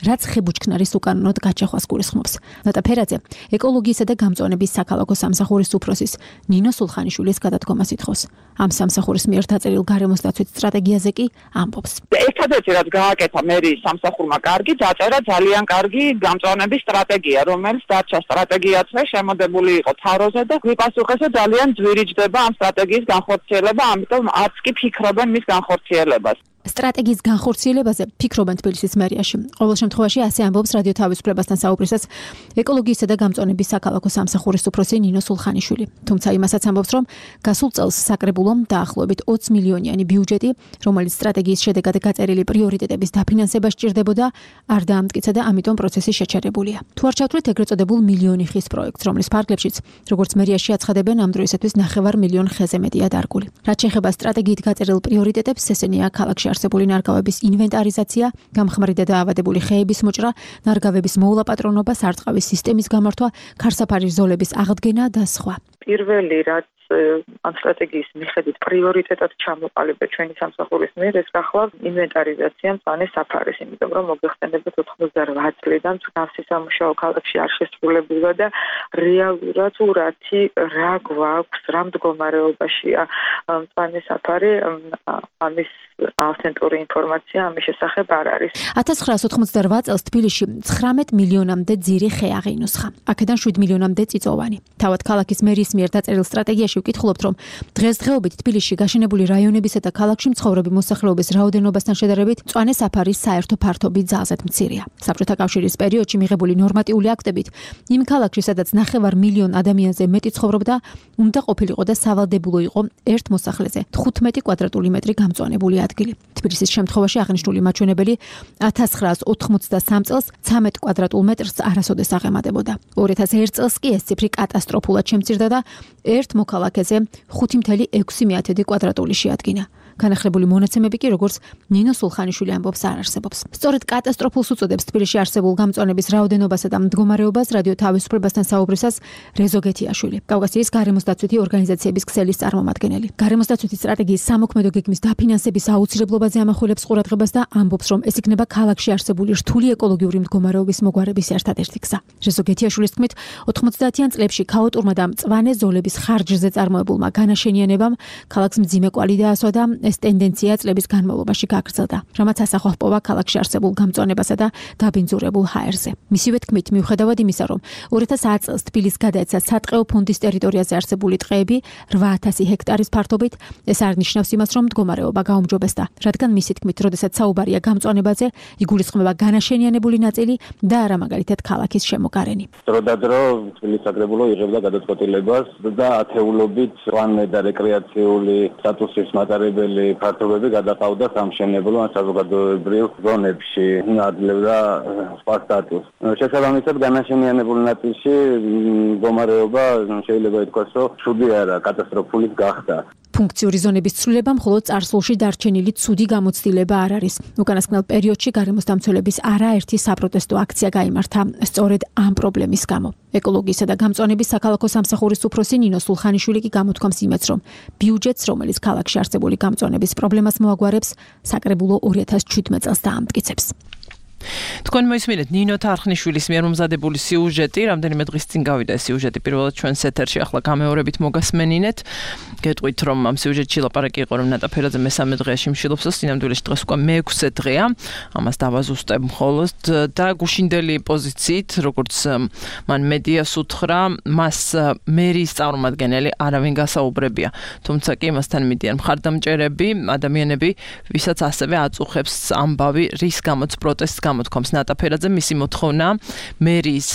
რაც ხებუჩქნარის უკანონოდ გაჩახვას გულისხმობს. ნატა ფერაძე ეკოლოგიისა და გამწვანების საქალაქო სამსახურის უფროსის ნინო სულხანიშვილის გადადგომას ითხოვს. ამ სამსახურის მიერ დაწერილ გარემოს დაცვის სტრატეგიაზე კი ამბობს. ერთადერთი რაც გააკეთა მერიის სამსახურმა კარგი დაწერა ძალიან კარგი გამწვანების სტრატეგია, რომელიც დარჩა სტრატეგიაცვე შემოდებული იყო თავროზე და გვიპასუხესა ძალიან ძვირიჯდება ამ სტრატეგიის განხორციელება, ამიტომ არც კი ფიქრობენ მის განხორციელებას. სტრატეგიის განხორციელებაზე ფიქრობენ თბილისის მერიაში. ყოველ შემთხვევაში ასე ამბობს რადიო თავისუფლებასთან საუბრისას ეკოლოგიისა და გამწვანების საქალაქო სამსახურის უფროსი ნინო სულხანიშვილი. თუმცა იმასაც ამბობს, რომ გასულ წელს საკრებულომ დაახლოებით ოცი მილიონიანი ბიუჯეტი, რომელიც სტრატეგიის შედეგად გაწერილი პრიორიტეტების დაფინანსებას სჭირდებოდა, არ დაამტკიცა და ამიტომ პროცესი შეჩერებულია. თუ არ ჩავთვლით ეგრეთ წოდებულ მილიონი ხის პროექტს, რომლის ფარგლებშიც, როგორც მერიაში აცხადებენ, ამ დროისათვის ნახევარ მილიონ ხეზე მეტია დარგული. რაც შეეხება სტრატეგიით გაწერილ პრიორიტეტებს, ესენია ქალაქში არსებული ნარგავების ინვენტარიზაცია, გამხმარი და დაავადებული ხეების მოჭრა, ნარგავების მოულაპატრონობა, სარწყავის სისტემის გამართვა, ქარსაფარი ზოლების აღდგენა და სხვა. პირველი რაც ამ სტრატეგიის მიხედვით პრიორიტეტად ჩამოყალიბდა ჩვენი სამსახურის მიერ, ეს გახლავთ ინვენტარიზაცია მწვანე საფარის, იმიტომ რომ მოგეხსენებათ ოთხმოცდარვა წლიდან მსგავსი სამუშაო ქალაქში არ შესრულებულა და რეალურად ურათი რა გვაქვს, რა მდგომარეობაშია მწვანე საფარი, ამის ავთენტური ინფორმაცია ამის შესახებ არ არის. ათას ცხრაას ოთხმოცდარვა წელს თბილისში ცხრამეტ მილიონამდე ძირი ხე აღინუსხა. აქედან შვიდ მილიონამდე წიწოვანი. თავად ქალაქის მერიის მიერ დაწერილ სტრატეგიაში ვკითხულობთ, რომ დღესდღეობით თბილისში გაშენებული რაიონებისა და ქალაქში მცხოვრები მოსახლეობის რაოდენობასთან შედარებით მწვანე საფარის საერთო ფართობი ძალზედ მცირეა. საბჭოთა კავშირის პერიოდში მიღებული ნორმატიული აქტებით იმ ქალაქში, სადაც ნახევარ მილიონ ადამიანზე მეტი ცხოვრობდა, უნდა ყოფილიყო და სავალდებულო იყო ერთ მოსახლეზე თხუთმეტი კვადრატული მეტრი გამწვანებული ადგილი. თბილისის შემთხვევაში აღნიშნული მაჩვენებელი ათას ცხრაას ოთხმოცდასამ წელს ცამეტ კვადრატულ მეტრს არასოდეს აღემატებოდა. ორი ათას ერთ წელს კი ეს ციფრი კატასტროფულად შემცირდა და ერთ მოქალაქეზე ხუთი მცდარი ექვსი კვადრატული შეადგინა. განახლებული მონაცემები კი, როგორც ნინო სულხანიშვილი ამბობს, არ არსებობს. სწორედ კატასტროფულს უწოდებს თბილისში არსებულ გამწვანების რაოდენობასა და მდგომარეობას რადიო თავისუფლებასთან საუბრისას რეზო გეთიაშვილი, კავკასიის გარემოს დაცვითი ორგანიზაციების ქსელის წარმომადგენელი. გარემოს დაცვითი სტრატეგიის სამოქმედო გეგმის დაფინანსების აუცილებლობაზე ამახვილებს ყურადღებას და ამბობს, რომ ეს იქნება ქალაქში არსებული რთული ეკოლოგიური მდგომარეობის მოგვარების ერთადერთი გზა. რეზო გეთიაშვილის თქმით, ოთხმოცდაათიან წლებში ქაოტურმა და მწვანე ზოლების ხარჯზე წარმოებულმა განაშენიანებამ ქალაქს მძიმე კვალი დაასვა და ეს ტენდენცია წლების განმავლობაში გაგრძელდა, რამაც ასახვა ჰპოვა ქალაქში არსებულ გამწვანებასა და დაბინძურებულ ჰაერზე. მისივე თქმით, მიუხედავად იმისა, რომ ორი ათას ათი წელს თბილისს გადაეცა სატყეო ფონდის ტერიტორიაზე არსებული ტყეები რვა ათასი ჰექტარის ფართობით, ეს არ ნიშნავს იმას, რომ მდგომარეობა გაუმჯობესდა, რადგან მისი თქმით, როდესაც საუბარია გამწვანებაზე, იგულისხმება განაშენიანებული ნაწილი და არა მაგალითად ქალაქის შემოგარენი. დროდადრო თბილისის საკრებულო იღებდა გადაწყვეტილებას და ათეულობით პლანე და რეკრეაციული სტატუსის მატარებელი ფართობები გადაყავდა სამშენებლო ან საზოგადოებრივ ზონებში, ადლებდა სხვა სტატუსს. შესაბამისად, განაშენიანებული ნაწილში მდგომარეობა შეიძლება ითქვას, რომ ცუდი არა, კატასტროფული გახდა. ფუნქციური ზონების ცვლილება მხოლოდ წარსულში დარჩენილი ცუდი გამოცდილება არ არის. უკანასკნელ პერიოდში გარემოს დამცველების არაერთი საპროტესტო აქცია გაიმართა სწორედ ამ პრობლემის გამო. ეკოლოგიისა და გამწვანების საქალაქო სამსახურის უფროსი ნინო სულხანიშვილი კი გამოთქვამს იმედს, რომ ბიუჯეტს, რომელიც ქალაქში არსებული გამწვანების პრობლემას მოაგვარებს, საკრებულო ორი ათას შვიდმეტ წელს დაამტკიცებს. თქვენ მოისმინეთ ნინო თარხნიშვილის მიერ მომზადებული სიუჟეტი, რამდენიმე დღის წინ გავიდა ეს სიუჟეტი პირველად ჩვენს ეთერში, ახლა გამეორებით მოგასმენინეთ. გეტყვით, რომ ამ სიუჟეტში ლაპარაკი იყო, რომ ნატა ფერაძე მესამე დღეაში მშილობს და სინამდვილეში დღეს უკვე მეექვსე დღეა. ამას დავაზუსტებ მხოლოდ და გუშინდელი პოზიციით, როგორც მან მედიას უთხრა, მას მერიის წარმომადგენელი არავინ გასაუბრებია. თუმცა კი მასთან მიდიან მხარდამჭერები, ადამიანები, ვისაც ასევე აწუხებს ამბავი, რის გამოც პროტესტს გამოთქვამს ნატა ფერაძე, მისი მოთხოვნა მერიის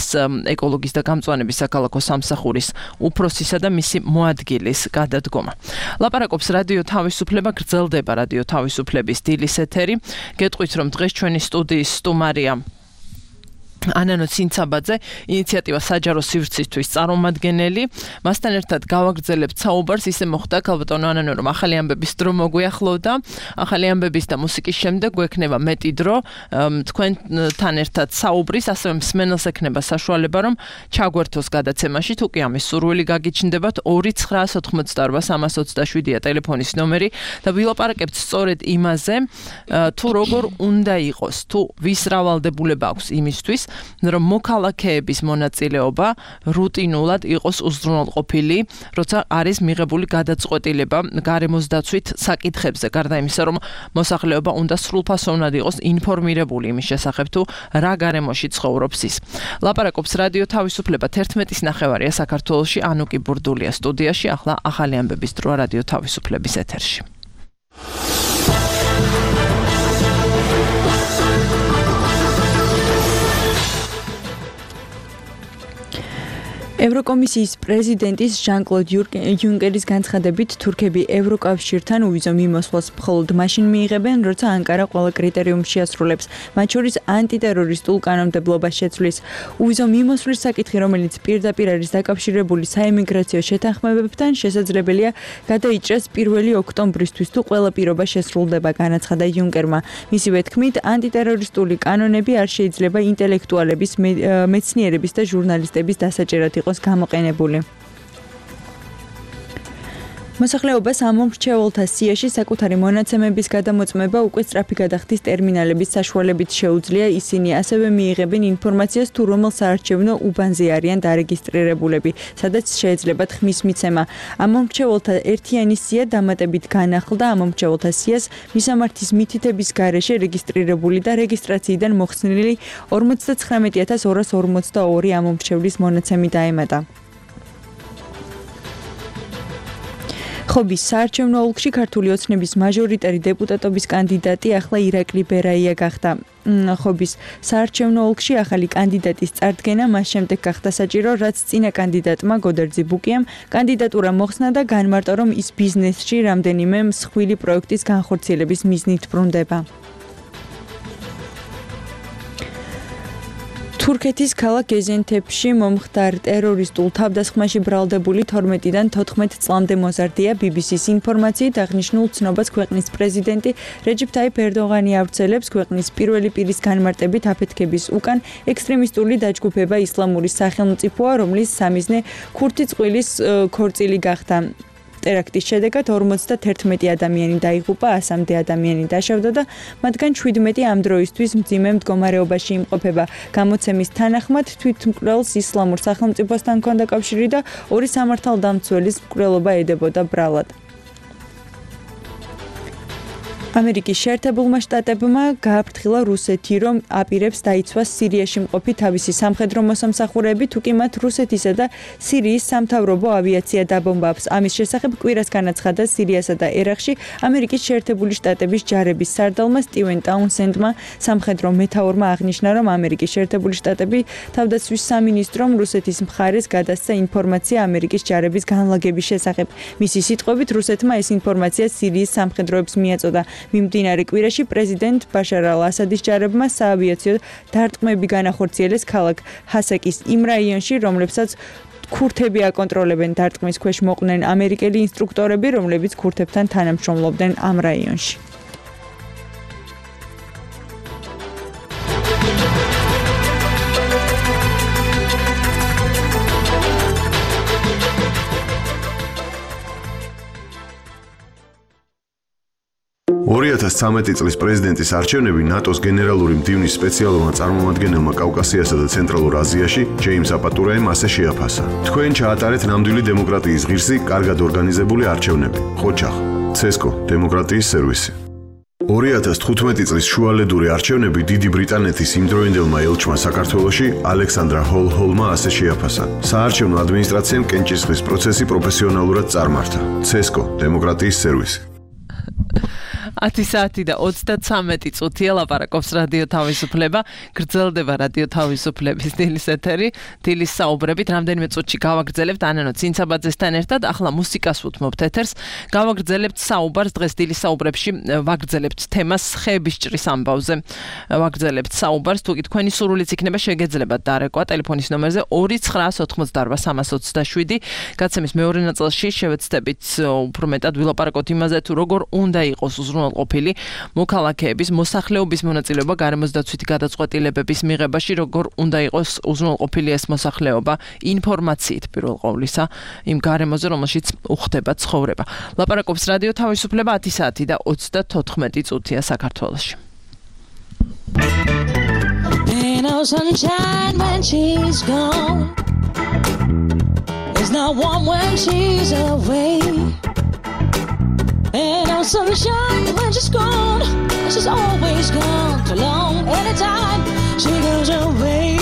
ეკოლოგიის და გამწვანების საქალაქო სამსახურის უფროსისა და მისი მოადგილის გადადგომა. ლაპარაკობს რადიო თავისუფლება, გრძელდება რადიო თავისუფლების დილის ეთერი. გეტყვით, რომ დღეს ჩვენი სტუდიის სტუმარია ანანო ცინცაბაძე, ინიციატივა საჯარო სივრცისთვის წარმომადგენელი. მასთან ერთად გავაგრძელებთ საუბარს, ისე მოხდა ქალბატონო ანანო, რომ ახალი ამბების დრო მოგვიახლოვდა. ახალი ამბების და მუსიკის შემდეგ გვექნება მეტი დრო თქვენთან ერთად საუბრის, ასევე მსმენელს ექნება საშუალება, რომ ჩაგვერთოს გადაცემაში, თუ კი ამის სურვილი გაგიჩნდებათ, ორი ცხრაას ოთხმოცდარვა სამას ოცდაშვიდია ტელეფონის ნომერი და ვილაპარაკებთ სწორედ იმაზე, თუ როგორ უნდა იყოს, თუ ვის რავალდებულება აქვს იმისთვის, რომ მოქალაქეების მონაწილეობა რუტინულად იყოს უზრუნველყოფილი, როცა არის მიღებული გადაწყვეტილება გარემოს დაცვით საკითხებზე, გარდა იმისა, რომ მოსახლეობა უნდა სრულფასოვნად იყოს ინფორმირებული იმის შესახებ, თუ რა გარემოში ცხოვრობს ის. ლაპარაკობს რადიო თავისუფლება თერთმეტის ნახევარია საქართველოში, ანუკი ბურდულია სტუდიაში, ახლა ახალი ამბების დროა რადიო თავისუფლების ეთერში. ევროკომისიის პრეზიდენტის ჟან-კლოდ იუნკერის განცხადებით თურქები ევროკავშირთან უვიზო მიმოსვლას მხოლოდ მაშინ მიიღებენ, როცა ანკარა ყველა კრიტერიუმს შეასრულებს, მათ შორის ანტიტერორისტულ კანონმდებლობას შეცვლის. უვიზო მიმოსვლის საკითხი, რომელიც პირდაპირ არის დაკავშირებული საემიგრაციო შეთანხმებებთან, შესაძლებელია გადაიჭრას პირველი ოქტომბრისთვის, თუ ყველა პირობა შესრულდება, განაცხადა იუნკერმა. მისივე თქმით, ანტიტერორისტული კანონები არ შეიძლება ინტელექტუალების, მეცნიერების და ჟურნალისტების დასაჭერად იყოს გამოყენებული. მოსახლეობას ამომრჩეველთა სიაში საკუთარი მონაცემების გადამოწმება უკვე სწრაფი გადახდის ტერმინალების საშუალებით შეუძლია, ისინი ასევე მიიღებენ ინფორმაციას თუ რომელ საარჩევნო უბანზე არიან დარეგისტრირებულები, სადაც შეეძლებათ ხმის მიცემა. ამომრჩეველთა ერთიანი სია დამატებით განახლდა ამომრჩეველთა სიას მისამართის მითითების გარეშე რეგისტრირებული და რეგისტრაციიდან მოხსნილი ორმოცდაცხრამეტი ათას ორას ორმოცდაორი ამომრჩევლის მონაცემი დაემატა. ხობის საარჩევნო ოლქში ქართული ოცნების მაჟორიტარი დეპუტატობის კანდიდატი ახლა ირაკლი ბერაია გახდა. ხობის საარჩევნო ოლქში ახალი კანდიდატის წარდგენა მას შემდეგ გახდა საჭირო, რაც წინა კანდიდატმა გოდერძი ბუკიამ კანდიდატურა მოხსნა და განმარტა, რომ ის ბიზნესში რამდენიმე მსხვილი პროექტის განხორციელების მიზნით ბრუნდება. თურქეთის ქალაქ გეზენთეფში მომხდარ ტერორისტულ თავდასხმაში ბრალდებული თორმეტიდან თოთხმეტ წლამდე მოზარდია ბი ბი სის ინფორმაციით აღნიშნულ ცნობას ქვეყნის პრეზიდენტი რეჯიპ ტაიპ ერდოღანი ავრცელებს ქვეყნის პირველი პირის განმარტებით აფეთქების უკან ექსტრემისტული დაჯგუფება ისლამური სახელმწიფოა, რომლის სამიზნე ქურთი წყვილის ქორწილი გახდა. ტერაქტის შედეგად ორმოცდაერთმეტი ადამიანი დაიღუპა, ასამდე ადამიანი დაშავდა და მათგან შვიდმეტი ამ დროისთვის მძიმე მდგომარეობაში იმყოფება. გამოცემის თანახმად თვითმკვლელს ისლამურ სახელმწიფოსთან ჰქონდა კავშირი და ორი სამართალდამცველის მკვლელობა ედებოდა ბრალად. ამერიკის შეერთებულმა შტატებმა გააფრთხილა რუსეთი, რომ აპირებს დაიცვას სირიაში მყოფი თავისი სამხედრო მოსამსახურეები, თუკი მათ რუსეთისა და სირიის სამთავრობო ავიაცია დაბომბავს. ამის შესახებ კვირას განაცხადა სირიასა და ერაყში ამერიკის შეერთებული შტატების ჯარების სარდალმა სტივენ ტაუნსენდმა. სამხედრო მეთაურმა აღნიშნა, რომ ამერიკის შეერთებული შტატები თავდაცვის სამინისტრომ რუსეთის მხარეს გადასცა ინფორმაცია ამერიკის ჯარების განლაგების შესახებ. მისი სიტყვებით, რუსეთმა ეს ინფორმაცია სირიის სამხედროებს მიაწოდა. მიმდინარე კვირაში პრეზიდენტ ბაშარ ალ-ასადის ჯარებმა საავიაციო დარტყმები განახორციელეს ქალაქ ჰასაკის იმ რაიონში, რომლებსაც ქურთები აკონტროლებენ. დარტყმის ქვეშ მოყვნენ ამერიკელი ინსტრუქტორები, რომლებიც ქურთებთან თანამშრომლობდნენ ამ რაიონში. ორი ათას ცხრამეტი წლის პრეზიდენტის არჩევნები ნატოს გენერალური მდივნის სპეციალურმა წარმომადგენელმა კავკასიასა და ცენტრალურ აზიაში ჯეიმს აპატურაემ ასე შეაფასა. თქვენ ჩაატარეთ ნამდვილი დემოკრატიის ღირსი, კარგად ორგანიზებული არჩევნები. ხოჩახ, ცესკო, დემოკრატიის სერვისი. ორი ათას თხუთმეტი წლის შუალედური არჩევნები დიდი ბრიტანეთის იმდროინდელმა ელჩმა საქართველოში ალექსანდრა ჰოლჰოლმა ასე შეაფასა. საარჩევნო ადმინისტრაციამ კენჭისყრის პროცესი პროფესიონალურად წარმართა. ცესკო, დემოკრატიის სერვისი. ათი საათი და ოცდაცამეტი წუთია ლაპარაკობს რადიო თავისუფლება, გრძელდება რადიო თავისუფლების დილის ეთერი, დილის საუბრებით, რამდენიმე წუთში გავაგრძელებთ ანანო ცინცაბაძესთან ერთად, ახლა მუსიკას უთმობთ ეთერს, გავაგრძელებთ საუბარს, დღეს დილის საუბრებში ვაგრძელებთ თემას ხეების ჭრის ამბავზე, ვაგრძელებთ საუბარს, თუ კი თქვენი სურვილიც იქნება შეგეძლებათ დარეკვა ტელეფონის ნომერზე ორი ცხრა ოცდაოთხმოცდაარბა სამას ოცდაშვიდი, გაცემის მეორე ნაწილში შევეცდებით უფრო მეტად ვილაპარაკოთ იმაზე, თუ როგორ უნდა იყოს ყოფილი მოქალაქეების მოსახლეობის მონაწილეობა გარემოს დაცვითი გადაწყვეტილებების მიღებაში, როგორ უნდა იყოს უზრუნველყოფილი ეს მოსახლეობა ინფორმაციით პირველ ყოვლისა იმ გარემოზე, რომელშიც უხდება ცხოვრება. ლაპარაკობს რადიო თავისუფლება ათი საათი და ოცდათოთხმეტი წუთია საქართველოში. no sunshine when she's gone. There's no warm when she's away. Ain't no sunshine when she's gone. She's always gone too long. Anytime she goes away,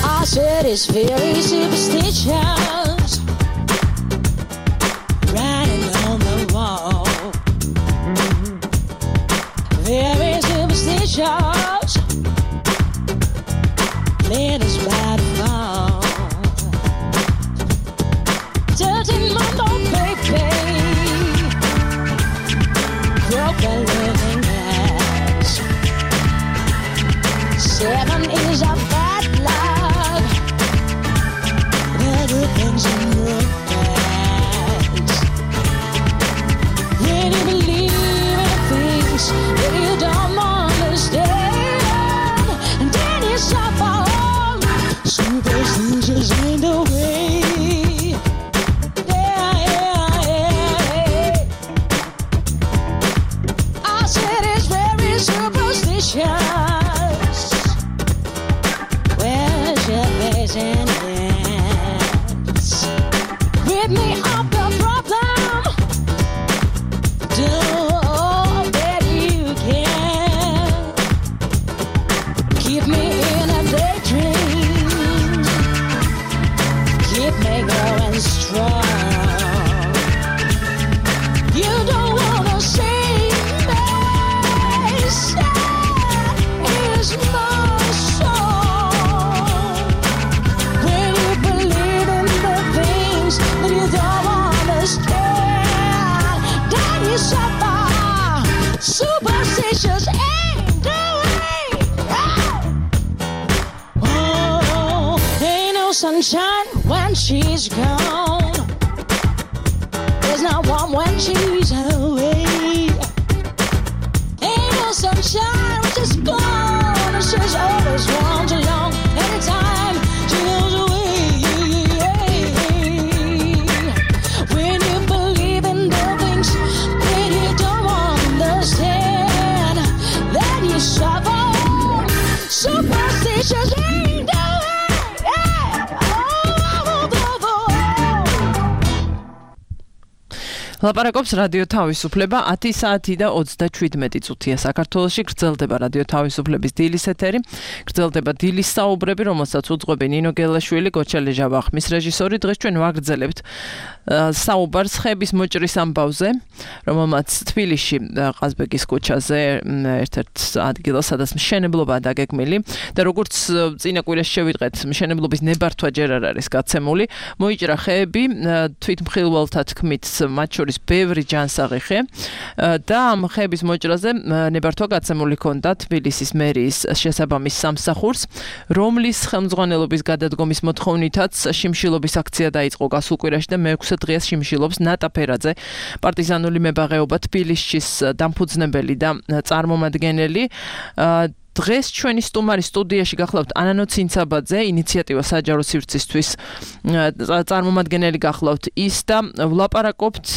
I said it's very superstitious, writing on the wall. Very superstitious, playing us by the fall. Thirteen month old baby broke a living glass. Seven is a bad luck. The good things in your past. When you believe in things that you don't understand, and then you suffer. Superstitious ain't the way. Where's your face and hands? Rid me of the problem. Do all that you can. Keep me in a daydream. Keep me going strong. You don't wanna see me sad is my song. When you believe in the things that you don't understand, then you suffer. Superstitious ain't the way. Oh, ain't no sunshine when she's gone. There's no warm when she's away. Ain't no sunshine when she's gone. She's always gone too long. Anytime she goes away. When you believe in the things that you don't understand, then you suffer. Superstitious ain't the way. ლაპარაკობს რადიო თავისუფლება ათი საათი და ოცდაშვიდმეტი წუთია საქართველოში გრძელდება რადიო თავისუფლების დილის ეთერი გრძელდება დილის საუბრები რომელსაც უძღვები ნინო გელაშვილი გოჩელი ჟავახმის რეჟისორი დღეს ჩვენ ვაგრძელებთ საუბარს ხების მოჭრის ამბავზე რომელმაც თბილისში ყაზბეგის ქუჩაზე ერთ-ერთ ადგილას სადაც მშენებლობაა დაგეგმილი და როგორც წინა კვირაში შევიტყეთ მშენებლობის ნებართვა ჯერ არ არის გაცემული მოიჭრა ხეები თვითმხილველთა თქმით მათ შორის ბევრი ჯანსაღი ხე და ამ ხეების მოჭრაზე ნებართვა გაცემული ჰქონდა თბილისის მერიის შესაბამის სამსახურს რომლის ხელმძღვანელობის გადადგომის მოთხოვნითაც შიმშილობის აქცია დაიწყო გასულ კვირაში და მეექვსე დღეა შიმშილობს ნატა ფერაძე პარტიზანული მებაღეობა თბილისის დამფუძნებელი და წარმომადგენელი დღეს ჩვენი სტუმარი სტუდიაში გახლავთ ანანო ცინცაბაძე ინიციატივა საჯარო სივრცისთვის წარმომადგენელი გახლავთ ის და ვლაპარაკობთ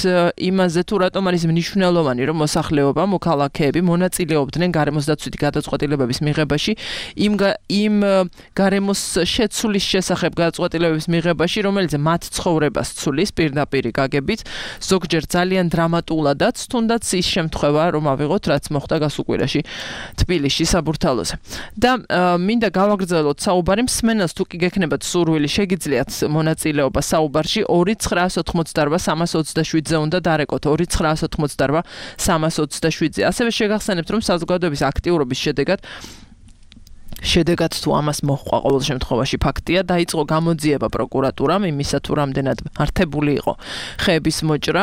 იმაზე თუ რატომ არის მნიშვნელოვანი რომ მოსახლეობა მოქალაქეები მონაწილეობდნენ გარემოს დაცვითი გადაწყვეტილებების მიღებაში იმ იმ გარემოს შეცვლის შესახებ გადაწყვეტილებების მიღებაში რომელიც მათ ცხოვრებას ცვლის პირდაპირ გაგებით ზოგჯერ ძალიან დრამატულადაც თუნდაც ის შემთხვევა რომ ავიღოთ რაც მოხდა გასულ კვირაში თბილისში საბურთალოზე და მინდა გავაგრძელოთ საუბარი მსმენელს თუ კი გექნებათ სურვილი შეგიძლიათ მონაწილეობა საუბარში ორი ცხრაას ოთხმოცდაარბა სამას ოცდაშვიდზე უნდა დარეკოთ ორი ცხრაას ოთხმოცდაარბა სამას ოცდაშვიდზე ასევე შეგახსენებთ რომ საზოგადოების აქტიურობის შედეგად შედეგად თუ ამას მოჰყვა ყოველ შემთხვევაში ფაქტია დაიწყო გამოძიება პროკურატურამ იმისა თუ რამდენად მართებული იყო ხეების მოჭრა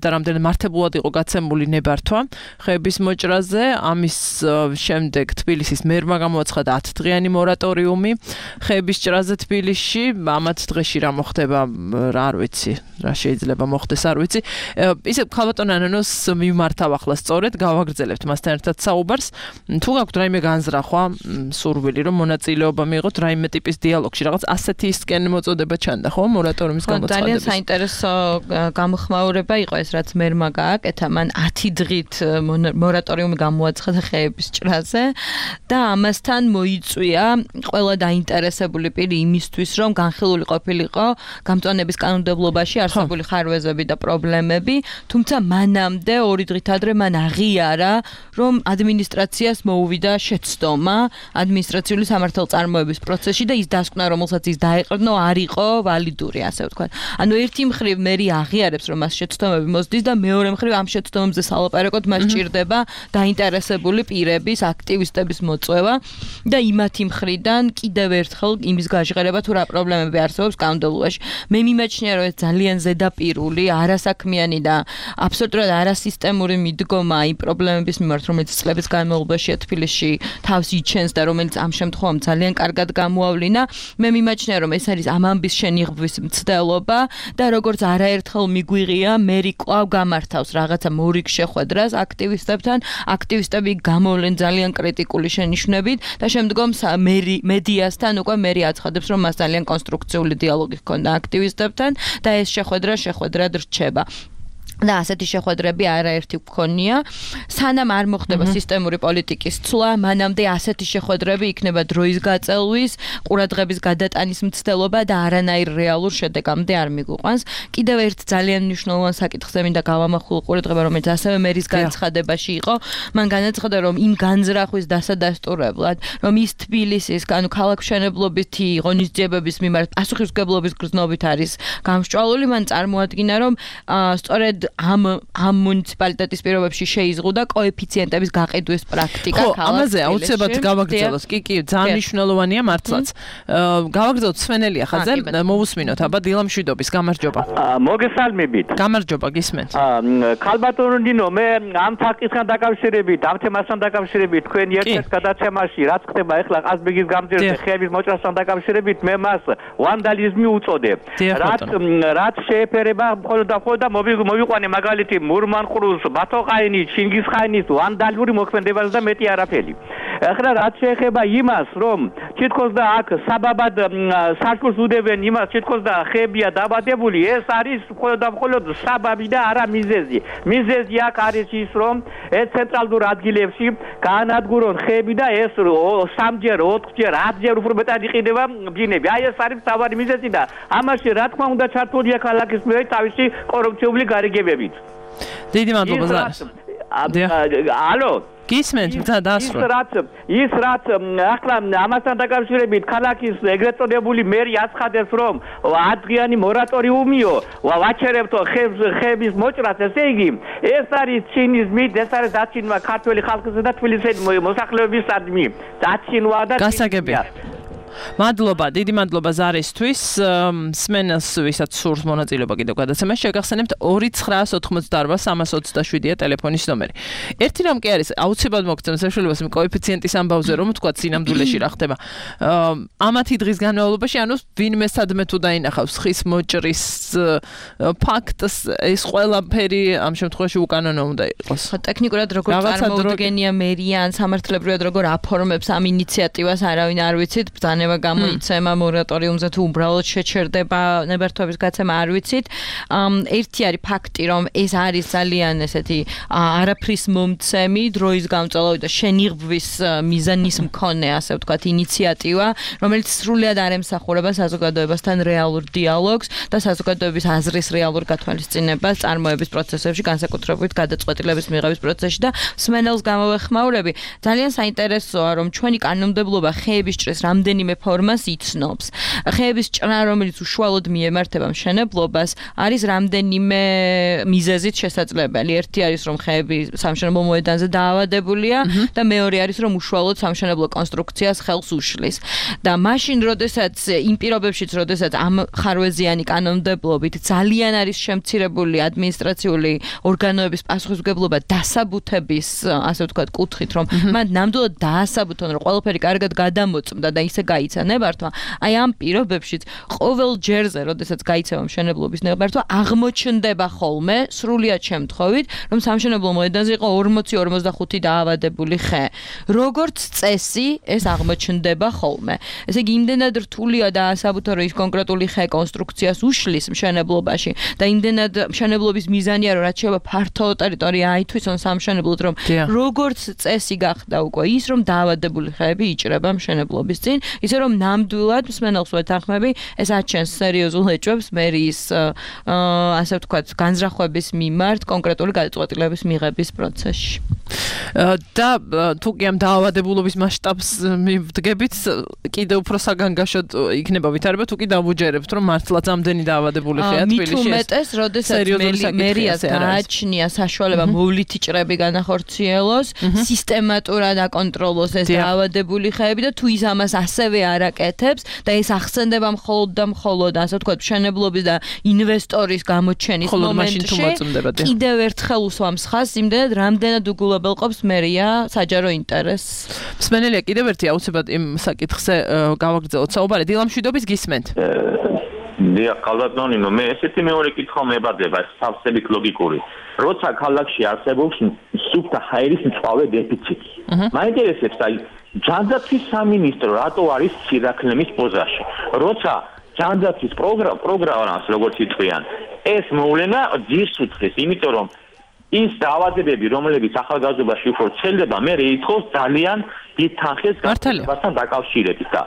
და რამდენად მართებულად იყო გაცემული ნებართვა ხეების მოჭრაზე ამის შემდეგ თბილისის მერმა გამოაცხადა ათდღიანი მორატორიუმი ხეების ჭრაზე თბილისში ამათ დღეში რა მოხდება რა არ ვიცი რა შეიძლება მოხდეს არ ვიცი ისე ქალბატონ ანანოს მიმართავ ახლა სწორედ გავაგრძელებთ მასთან ერთად საუბარს თუ გაქვთ რაიმე განზრახვა სურვილი რომ მონაწილეობა მიიღოთ რაიმე ტიპის დიალოგში, რაღაც ასეთისკენ მოწოდება ჩანდა, ხო, მორატორიუმის გამოცხადების. ძალიან საინტერესო გამოხმაურება იყო ეს, რაც მერმა გააკეთა, მან ათი დღით მორატორიუმი გამოაცხადა ხეების ჭრაზე და ამასთან მოიწვია ყველა დაინტერესებული პირი იმისთვის, რომ განხილული ყოფილიყო გამწვანების კანონმდებლობაში არსებული ხარვეზები და პრობლემები, თუმცა მანამდე ორი დღით ადრე მან აღიარა, რომ ადმინისტრაციას მოუვიდა შეცდომა ადმინისტრაციული სამართალწარმოების პროცესში და ის დასკვნა, რომელსაც ის დაეყრდნო, არ იყო ვალიდური, ასე ვთქვათ. ანუ ერთი მხრივ მერი აღიარებს, რომ მას შეცდომები მოსდის და მეორე მხრივ ამ შეცდომებზე სალაპარაკოდ მას ჭირდება დაინტერესებული პირების, აქტივისტების მოწვევა და იმათი მხრიდან კიდევ ერთხელ იმის გაჟღერება თუ რა პრობლემები არსებობს კანონმდებლობაში. მე მიმაჩნია, რომ ეს ძალიან ზედაპირული, არასაქმიანი და აბსოლუტურად არასისტემური მიდგომა იმ პრობლემების მიმართ, რომელიც წლების განმავლობაში თბილისში თავს იჩენს და რომელიც ამ შემთხვევამ ძალიან კარგად გამოავლინა. მე მიმაჩნია, რომ ეს არის ამ ამბის შენიღბვის მცდელობა და როგორც არაერთხელ მიგვიღია, მერი კვლავ გამართავს რაღაცა მორიგ შეხვედრას აქტივისტებთან, აქტივისტები გამოვლენ ძალიან კრიტიკული შენიშვნებით და შემდგომ მერი მედიასთან უკვე მერი აცხადებს, რომ მას ძალიან კონსტრუქციული დიალოგი ჰქონდა აქტივისტებთან და ეს შეხვედრა შეხვედრად რჩება. და ასეთი შეხვედრები არაერთი გქონია. სანამ არ მოხდება სისტემური პოლიტიკის ცვლა, მანამდე ასეთი შეხვედრები იქნება დროის გაწელვის, ყურადღების გადატანის მცდელობა და არანაირ რეალურ შედეგამდე არ მიგვიყვანს. კიდევ ერთ ძალიან მნიშვნელოვან საკითხზე მინდა გავამახვილო ყურადღება, რომელიც ასევე მერის განცხადებაში იყო. მან განაცხადა, რომ იმ განზრახვის დასადასტურებლად, რომ ის თბილისის, ანუ ქალაქმშენებლობითი ღონისძიებების მიმართ პასუხისმგებლობის გრძნობით არის გამსჭვალული, მან წარმოადგინა, რომ სწორედ ამ ამ მუნიციპალიტეტის პირობებში შეიზღუდა კოეფიციენტების გაყიდვის პრაქტიკა ქალაქ. ხო, ამაზე აუცილებლად გავაგრძელოს. კი, კი, ძალიან მნიშვნელოვანია მართლაც. გავაგრძელოთ სვენელი ახაძე, მოვუსმინოთ აბა დილამშვიდობის, გამარჯობა. მოგესალმებით. გამარჯობა, გისმენთ. ქალბატონო ნინო, მე ამ თაკისგან დაკავშირებით, ამ თემასთან დაკავშირებით, თქვენი ერთ-ერთ გადაცემაში, რაც ხდება ახლა ყაზბეგის გამზირზე ხეების მოჭრასთან დაკავშირებით, მე მას ვანდალიზმი უწოდებ. რაც რაც შეეფერება მხოლოდ და მხოლოდ მოვიყვანე მაგალითი მურმანყრუს, ბათოყაინის, ჩინგისხანის ვანდალიური მოქმედებას და მეტი არაფერი. ახლა რაც შეეხება იმას, რომ თითქოს და აქ საბაბად სარკულს უდევენ იმას, თითქოს და ხეებია დაბადებული, ეს არის მხოლოდ და მხოლოდ საბაბი და არა მიზეზი. მიზეზი აქ არის ის, რომ ეს ცენტრალურ ადგილებში გაანადგურონ ხეები და ეს სამჯერ, ოთხჯერ, ათჯერ უფრო მეტად იყიდება ბინები. აი ეს არის მთავარი მიზეზი და ამაში რა თქმა უნდა ჩართულია ქალაქის მიერ თავისი კორუფციული გარიგებებით. დიდი მადლობა ზარს. ალო გისმენთ, და დასრულე. ის რაც ის რაც ახლა ამასთან დაკავშირებით ქალაქის ეგრეთ წოდებული მერი აცხადებს, რომ ათდღიანი მორატორიუმიო ვაჩერებთო ხეების მოჭრას, ესე იგი ეს არის ჩინიზმი, ეს არის დაცინვა ქართველი ხალხისა და თბილისის მოსახლეობისადმი. დაცინვა და გასაგები. მადლობა, დიდი მადლობა ზარისთვის. სმენელს ვისაც სურს მონაწილეობა კიდევ გადაცემაში, შეგახსენებთ ორი ცხრა ოცდაოთხმოცდაარბა სამას ოცდაშვიდია ტელეფონის ნომერი. ერთი რამ კი არის, აუცილებლად მოგცემ საშუალებას იმ კოეფიციენტის ამბავზე, რომ თქვა სინამდვილეში რა ხდება. ამათი დღის განმავლობაში, ანუ ვინმე სადმე თუ დაინახავს ხის მოჭრის ფაქტს, ეს ყველაფერი ამ შემთხვევაში უკანონო უნდა იყოს. ტექნიკურად როგორ წარმოუდგენია მერია ან სამართლებრივად როგორ აფორმებს ამ ინიციატივას, არავინ არ ვიცით. ბრძანება გამოიცემა მორატორიუმზე თუ უბრალოდ შეჩერდება ნებართვების გაცემა, არ ვიცით. ერთი არის ფაქტი, რომ ეს არის ძალიან ესეთი არაფრის მომცემი, დროის გამწვავი და შენიღბვის მიზანის მქონე, ასე ვთქვათ, ინიციატივა, რომელიც სრულად არ ემსახურება საზოგადოებასთან რეალურ დიალოგს და საზოგადოების აზრის რეალურ გათვალისწინებას წარმოების პროცესებში, განსაკუთრებით გადაწყვეტილების მიღების პროცესში და სმენელს გამოვეხმაურები. ძალიან საინტერესოა, რომ ჩვენი კანონმდებლობა ხეების ჭრის რამდენიმე ფორმას იცნობს. ხეების ჭრა, რომელიც უშუალოდ მიემართება მშენებლობას, არის რამდენიმე მიზეზით შესაძლებელი. ერთი არის, რომ ხეები სამშენებლო მოედანზე დაავადებულია და მეორე არის, რომ უშუალოდ სამშენებლო კონსტრუქციას ხელს უშლის. და მაშინ, როდესაც იმ პირობებშიც, როდესაც ამ ხარვეზიანი კანონმდებლობით ძალიან არის შემცირებული ადმინისტრაციული ორგანოების პასუხისმგებლობა დასაბუთების, ასე ვთქვათ, კუთხით, რომ მან ნამდვილად დაასაბუთონ, რომ ყველაფერი კარგად გადამოწმდა და ისე გაიცა ნებართვა, აი ამ პირობებშიც ყოველ ჯერზე, როდესაც გაიცემა მშენებლობის ნებართვა, აღმოჩნდება ხოლმე სრულიად შემთხვევით, რომ სამშენებლო მოედანზე იყო ორმოცი ორმოცდახუთი დაავადებული ხე. როგორც წესი, ეს აღმოჩნდება ხოლმე. ესე იგი, იმდენად რთულია და ასაბუთო, რომ ის კონკრეტული ხე კონსტრუქციას უშლის მშენებლობაში და იმდენად მშენებლობის მიზანია, რომ რაც შეიძლება ფართო ტერიტორია აითვისონ სამშენებლოდ, რომ როგორც წესი გახდა უკვე ის, რომ დაავადებული ხეები იჭრება მშენებლობის წინ, ისე რომ ნამდვილად მსმენელს ვეთანხმები, ეს აჩენს სერიოზულ ეჭვებს მერიის ასე ვთქვათ, განზრახვების მიმართ კონკრეტული გადაწყვეტილების მიღების პროცესში. და თუ კი ამ დაავადებულობის მასშტაბს მივდგებით, კიდევ უფრო საგანგაშოდ იქნება ვითარება, თუ კი დავუჯერებთ, რომ მართლაც ამდენი დაავადებული ხეა თბილისში. მით უმეტეს, როდესაც მერიას გააჩნია საშუალება მოვლითი ჭრები განახორციელოს, სისტემატურად აკონტროლოს ეს დაავადებული ხეები და თუ ის ამას ასევე არ აკეთებს და ეს ახსენდება მხოლოდ და მხოლოდ, ასე ვთქვათ, მშენებლობის და ინვესტორის გამოჩენის მომენტში, კიდევ ერთხელ უსვამს ხაზს იმდენად, რამდენად უგულებელყოფს მერია საჯარო ინტერესს. მსმენელია კიდევ ერთი აუცილებლად იმ საკითხზე გავაგრძელოთ საუბარი. დილა მშვიდობის გისმენთ. დიახ, ხალხო, მე ესეთი მეორე კითხვა მებადება, სავსებით ლოგიკური. როცა ქალაქში არსებობს სუფთა ჰაერის მწვავე დეფიციტი. მაინტერესებს, აი, ჯანდაცვის სამინისტრო რატო არის სირაქლემის პოზაში? როცა ჯანდაცვის პროგრამას როგორც იწვიან, ეს მოვლენა ძირს უძღვის, იმიტომ რომ ის დაავადებები, რომლებიც ახალგაზრდობაში უფრო ვრცელდება, მე ითხოვს ძალიან დიდ თანხის გასაგებასთან დაკავშირებით და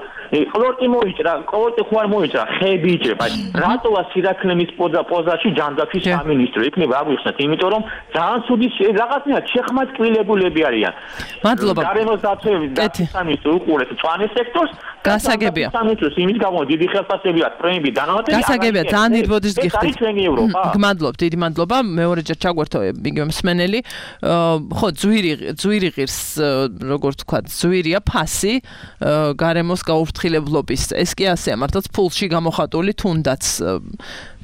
ყლორტი მოიჭრა, ყლორტი ხო არ მოიჭრა, ხეები იჭრება. რატოა სირაქლემის პოზაში ჯანდაცვის სამინისტრო? იქნება აღვიხსნათ, იმიტომ რომ ძალიან ცუდი რაღაცნაირად შეხმატკილებულები არიან. მადლობა. გარემოს დაცვების სამინისტრო უყურებს მწვანე სექტორს. გასაგებია. სამინისტროს იმით გამო დიდი ხელფასებია, პრემიები დანავატები. გასაგებია, ძალიან დიდ ბოდის გიხდით. ეს არის ჩვენი ევროპა. გმადლობთ, დიდი მადლობა. მეორეჯერ ჩაგვერთო იგივე მსმენელი. ხო, ძვირი ძვირი ღირს, როგორ თქვა, ძვირია ფასი გარემოს გაუფრთხილებლობის. ეს კი ასე მართლაც ფულში გამოხატული თუნდაც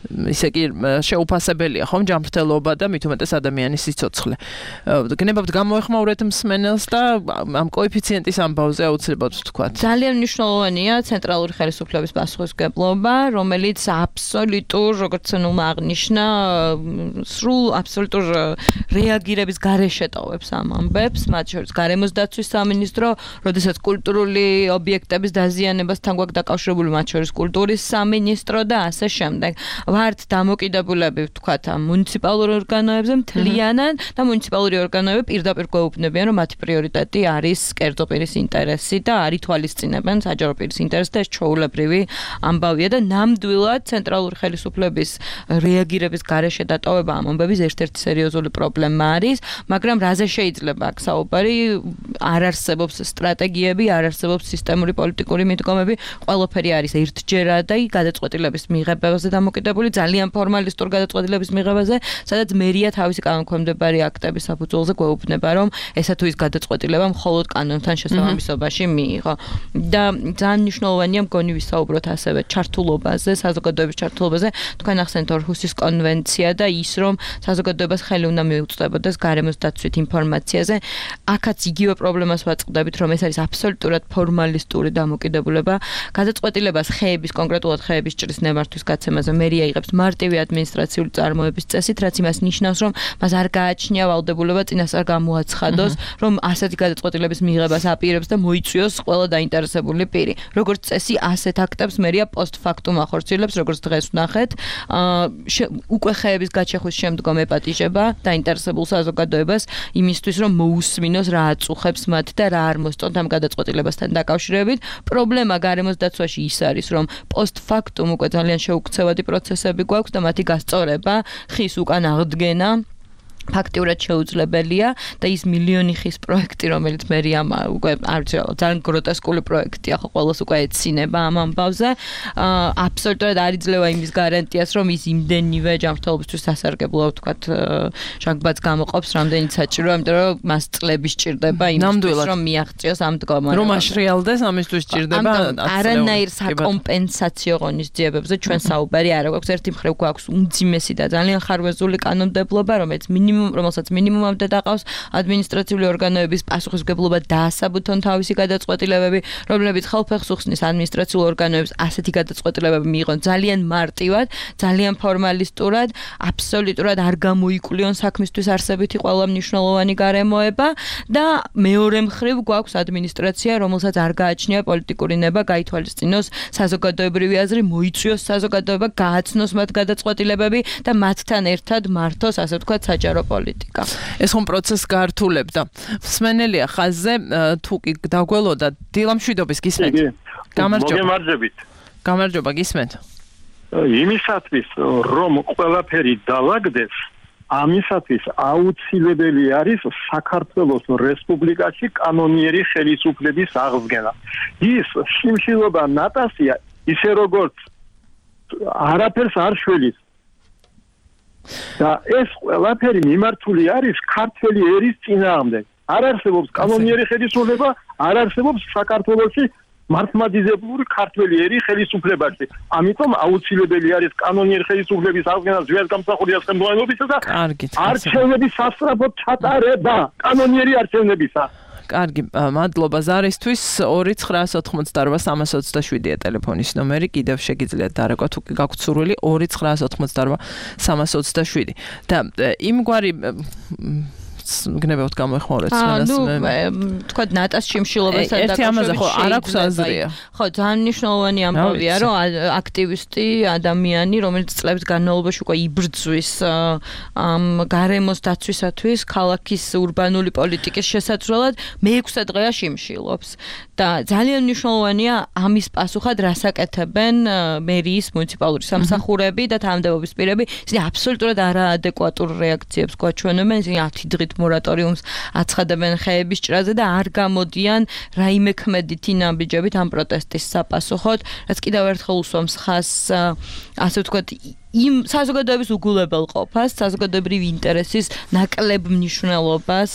ისე კი შეუფასებელია ხომ ჯანმრთელობა და მით უმეტეს ადამიანის სიცოცხლე. გნებავთ გამოეხმაურეთ მსმენელს და ამ კოეფიციენტის ამბავზე აუცილებლად ვთქვათ. ძალიან მნიშვნელოვანია ცენტრალური ხელისუფლების პასუხისმგებლობა, რომელიც აბსოლუტურ, როგორც ნუმა აღნიშნა, სრულ აბსოლუტურ რეაგირების გარეშე ტოვებს ამ ამბებს, მათ შორის გარემოს დაცვის სამინისტრო, როდესაც კულტურული ობიექტების დაზიანებასთან გვაქვს დაკავშირებული, მათ შორის კულტურის სამინისტრო და ასე შემდეგ. ვართ დამოკიდებულები, ვთქვათ, ამ მუნიციპალურ ორგანოებზე მთლიანად და მუნიციპალური ორგანოები პირდაპირ გვეუბნებიან, რომ მათი პრიორიტეტი არის კერძო პირის ინტერესი და არ ითვალისწინებენ საჯარო პირის ინტერესს და ეს ჩვეულებრივი ამბავია და ნამდვილად ცენტრალური ხელისუფლების რეაგირების გარეშე დატოვება ამ ამბების ერთ-ერთი სერიოზული პრობლემა არის, მაგრამ რაზე შეიძლება აქ საუბარი? არ არსებობს სტრატეგიები, არ არსებობს სისტემური პოლიტიკური მიდგომები, ყველაფერი არის ერთჯერად და გადაწყვეტილების მიღებაზე დამოკიდებული ძალიან ფორმალისტურ გადაწყვეტილების მიღებაზე, სადაც მერია თავისი კანონქვემდებარი აქტების საფუძველზე გვეუბნება, რომ ესა თუ ის გადაწყვეტილება მხოლოდ კანონთან შესაბამისობაში მიიღო. და ძალიან მნიშვნელოვანია მგონი ვისაუბროთ ასევე ჩართულობაზე, საზოგადოების ჩართულობაზე. თქვენ ახსენეთ ორჰუსის კონვენცია და ის, რომ საზოგადოებას ხელი უნდა მიუწვდებოდეს გარემოს დაცვით ინფორმაციაზე. აქაც იგივე პრობლემას ვაწყდებით, რომ ეს არის აბსოლუტურად ფორმალისტური დამოკიდებულება. გადაწყვეტილებას ხეების, კონკრეტულად ხეების ჭრის ნებართვის გაცემაზე მერია იღებს მარტივი ადმინისტრაციული წარმოების წესით, რაც იმას ნიშნავს, რომ მას არ გააჩნია ვალდებულება წინასწარ გამოაცხადოს, რომ ასეთი გადაწყვეტილების მიღებას აპირებს და მოიწვიოს ყველა დაინტერესებული პირი. როგორც წესი, ასეთ აქტებს მერია პოსტფაქტუმ ახორციელებს, როგორც დღეს ვნახეთ, უკვე ხეების გაჩეხვის შემდგომ ეპატიჟება დაინტერესებულ საზოგადოებას იმისთვის, რომ მოусმინოს რა აწუხებს მათ და რა არ მოსწონთ ამ გადაწყვეტილებასთან დაკავშირებით. პრობლემა გარემოს დაცვაში ის არის, რომ პოსტფაქტუმ უკვე ძალიან შეუქცევადი პროცესები გვაქვს და მათი გასწორება, ხის უკან აღდგენა ფაქტიურად შეუძლებელია და ის მილიონი ხის პროექტი, რომელიც მერიამ უკვე არ ვიცი, ძალიან გროტესკული პროექტია, ხო ყველას უკვე ეცინება ამ ამბავზე. აბსოლუტურად არ იძლევა იმის გარანტიას, რომ ის იმდენივე ჯანმრთელობისთვის სასარგებლო, ვთქვათ, ჟანგბადს გამოყოფს, რამდენიც საჭიროა, იმიტომ რომ მას წლები სჭირდება იმისთვის, რომ მიაღწიოს ამ მდგომარეობას. რომ აშრიალდეს, ამისთვის სჭირდება არანაირ საკომპენსაციო ღონისძიებებზე ჩვენ საუბარი არ აქვს. ერთი მხრივ გვაქვს უმძიმესი და ძალიან ხარვეზული კანონმდებლობა, რომელიც მინიმუმ მინიმუმ რომელსაც მინიმუმამდე დაყავს ადმინისტრაციული ორგანოების პასუხისმგებლობა დაასაბუთონ თავისი გადაწყვეტილებები, რომლებიც ხალხს უხსნის ადმინისტრაციულ ორგანოებს ასეთი გადაწყვეტილებები მიიღონ ძალიან მარტივად, ძალიან ფორმალისტურად, აბსოლუტურად არ გამოიკულიონ საქმისთვის არსებითი ყველა მნიშვნელოვანი გარემოება და მეორე მხრივ გვაქვს ადმინისტრაცია, რომელსაც არ გააჩნია პოლიტიკური ნება, გაითვალისწინოს საზოგადოებრივი აზრი, მოიწვიოს საზოგადოება, გააცნოს მათ გადაწყვეტილებები და მათთან ერთად მართოს, ასე ვთქვათ, საჯარო პოლიტიკა. ეს ხომ პროცესს გაართულებდა. მსმენელია ხაზზე, თუ კი დაგველოდა დილამშვიდობის გისმენთ. გამარჯობა. მოგემარჯვებით. გამარჯობა, გისმენთ. იმისათვის, რომ ყველაფერი დაალაგდეს, ამისათვის აუცილებელი არის საქართველოს რესპუბლიკაში კანონიერი ხელისუფლების აღდგენა. ის შიმშილობა ნატასია, ისე როგორც არაფერს არ შველის. და ეს ყველაფერი მიმართული არის ქართველი ერის წინააღმდეგ. არ არსებობს კანონიერი ხელისუფლება, არ არსებობს საქართველოში მართლმადიდებლური ქართველი ერი ხელისუფლებაში. ამიტომ აუცილებელი არის კანონიერი ხელისუფლების აღდგენა ზვიადგამსახურდია ხელმძღვანელობისა და არჩევნების სასწრაფოდ ჩატარება კანონიერი არჩევნებისა. კარგი, მადლობა ზარისთვის. ორი ცხრაას ოთხმოცდაორვა სამას ოცდაშვიდია ტელეფონის ნომერი, კიდევ შეგიძლიათ დარეკვა თუ კი გაქვთ სურვილი ორი ცხრაას ოთხმოცდაორვა სამას ოცდაშვიდი. და იმგვარი გნებავთ გამოეხმაურეთ სმენას. ანუ თქვა ნატას შიმშილობასთან დაკავშირებით ხო არ აქვს აზრია. ხო, ძალიან მნიშვნელოვანი ამბავია, რომ აქტივისტი ადამიანი, რომელიც წლების განმავლობაში უკვე იბრძვის ამ გარემოს დაცვისათვის, ქალაქის урბანული პოლიტიკის შესაძლებლად მეექვსე დღეა შიმშილობს. და ძალიან მნიშვნელოვანია ამის პასუხად რასაკეთებენ მერიის მუნიციპალური სამსახურები და თანამდებობის პირები. ისინი აბსოლუტურად არაადეკვატურ რეაქციებს გვაჩვენებენ, ისინი ათი დღით მორატორიუმს აცხადებენ ხეების ჭრაზე და არ გამოდიან რაიმე ქმედითი ნაბიჯებით ამ პროტესტის საპასუხოდ, რაც კიდევ ერთხელ უსვამს ხაზს, ასე ვთქვათ, იმ საზოგადოების უგულებელყოფას, საზოგადოებრივი ინტერესის ნაკლებ მნიშვნელობას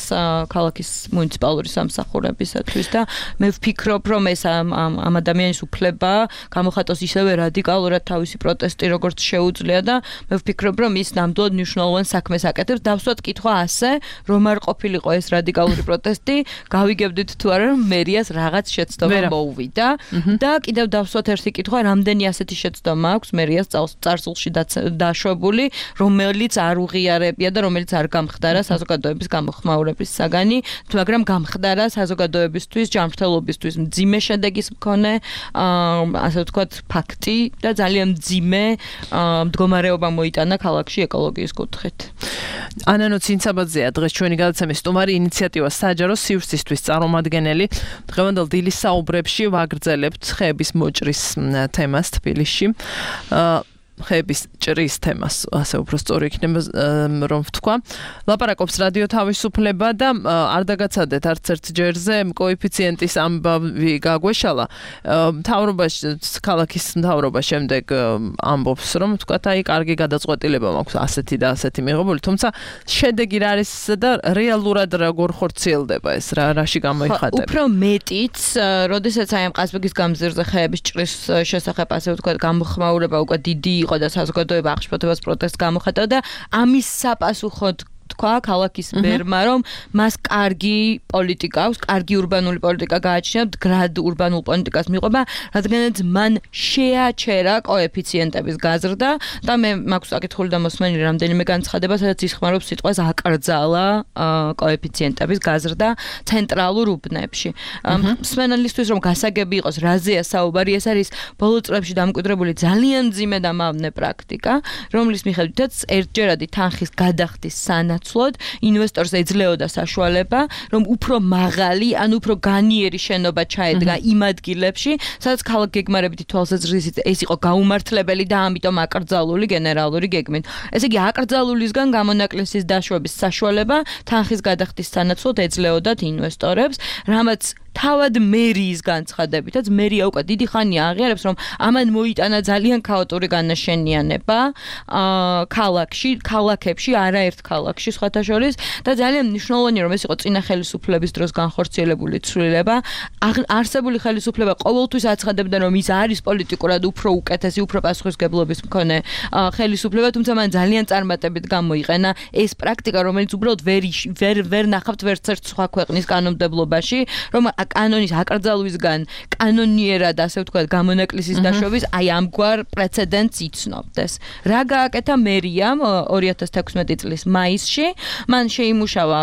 ქალაქის მუნიციპალური სამსახურებისათვის და მე ვფიქრობ, რომ ეს ამ ამ ადამიანის უფლება გამოხატოს ისევე რადიკალურად თავისი პროტესტი, როგორც შეუძლია და მე ვფიქრობ, რომ ის ნამდვილად მნიშვნელოვან საქმეს აკეთებს. დავსვათ კითხვა ასე, რომ არ ყოფილიყო ეს რადიკალური პროტესტი, გავიგებდით თუ არა, რომ მერიას რაღაც შეცდომა მოუვიდა და კიდევ დავსვათ ერთი კითხვა, რამდენი ასეთი შეცდომა აქვს მერიას წარსულში დაშვებული, რომელიც არ უღიარებია და რომელიც არ გამხდარა საზოგადოების გამოხმაურების საგანი, მაგრამ გამხდარა საზოგადოებისთვის, ჯანმრთელობისთვის მძიმე შედეგის მქონე, ასე ვთქვათ, ფაქტი და ძალიან მძიმე მდგომარეობა მოიტანა ქალაქში ეკოლოგიის კუთხით. ანანო ცინცაბაძეა დღეს ჩვენი გადაცემის სტუმარი, ინიციატივა საჯარო სივრცისთვის წარმომადგენელი. დღევანდელ დილის საუბრებში ვაგრძელებთ ხეების მოჭრის თემას თბილისში. ხეების ჭრის თემას, ასე უფრო სწორი იქნება რომ ვთქვა. ლაპარაკობს რადიო თავისუფლება და არ დაგაცადეთ არც ერთ ჯერზე კოეფიციენტის ამბავი გაგვეშალა. მთავრობაში, ქალაქის მთავრობა შემდეგ ამბობს, რომ ვთქვათ, აი კარგი გადაწყვეტილება მაქვს ასეთი და ასეთი მიღებული, თუმცა შედეგი რა არის და რეალურად როგორ ხორციელდება ეს, რა რაში გამოიხატება. უფრო მეტიც, როდესაც აი ამ ყაზბეგის გამზირზე ხეების ჭრის შესახებ, ასე ვთქვათ, გამოხმაურება უკვე დიდი იყო და საზოგადოება აღშფოთებას პროტესტს გამოხატა და ამის საპასუხოდ თქვა ქალაქის მერმა, რომ მას კარგი პოლიტიკა აქვს, კარგი урბანული პოლიტიკა გააჩნია, მდგრად урბანულ პოლიტიკას მიყვება, რადგანაც მან შეაჩერა კოეფიციენტების გაზრდა და მე მაქვს საკითხული და მოსმენილი რამდენიმე განცხადება, სადაც იხმარობს სიტყვას აკრძალა კოეფიციენტების გაზრდა ცენტრალურ უბნებში. მსმენელისთვის რომ გასაგები იყოს, რაზეა საუბარი, ეს არის ბოლო წლებში დამკვიდრებული ძალიან მძიმე და მავნე პრაქტიკა, რომლის მიხედვითაც ერთჯერადი თანხის გადახდის სანაცვლოდ ინვესტორს ეძლეოდა საშუალება, რომ უფრო მაღალი, ან უფრო განიერი შენობა ჩაედგა იმ ადგილებში, სადაც ქალაქ გეგმარებითი თვალსაზრისით ეს იყო გაუმართლებელი და ამიტომ აკრძალული გენერალური გეგმით. ესე იგი, აკრძალულისგან გამონაკლისის დაშვების საშუალება თანხის გადახდის სანაცვლოდ ეძლეოდათ ინვესტორებს, რამაც თავად მერიის განცხადებითაც მერია უკვე დიდი ხანია აღიარებს, რომ ამან მოიტანა ძალიან ქაოტური განაშენიანება ქალაქში, ქალაქებში, არაერთ ქალაქში სხვათა შორის და ძალიან მნიშვნელოვანია, რომ ეს იყო წინა ხელისუფლების დროს განხორციელებული ცვლილება. არსებული ხელისუფლება ყოველთვის აცხადებდა, რომ ის არის პოლიტიკურად უფრო უკეთესი, უფრო პასუხისმგებლობის მქონე ხელისუფლება, თუმცა მან ძალიან წარმატებით გამოიყენა ეს პრაქტიკა, რომელიც უბრალოდ ვერ ვერ ვერ ნახავთ ვერც ერთ სხვა ქვეყნის კანონმდებლობაში, რომ კანონის აკრძალვისგან კანონიერად, ასე ვთქვათ, გამონაკლისის დაშვების აი ამგვარ პრეცედენტს იცნობდეს. რა გააკეთა მერიამ ორი ათას თექვსმეტი წლის მაისში, მან შეიმუშავა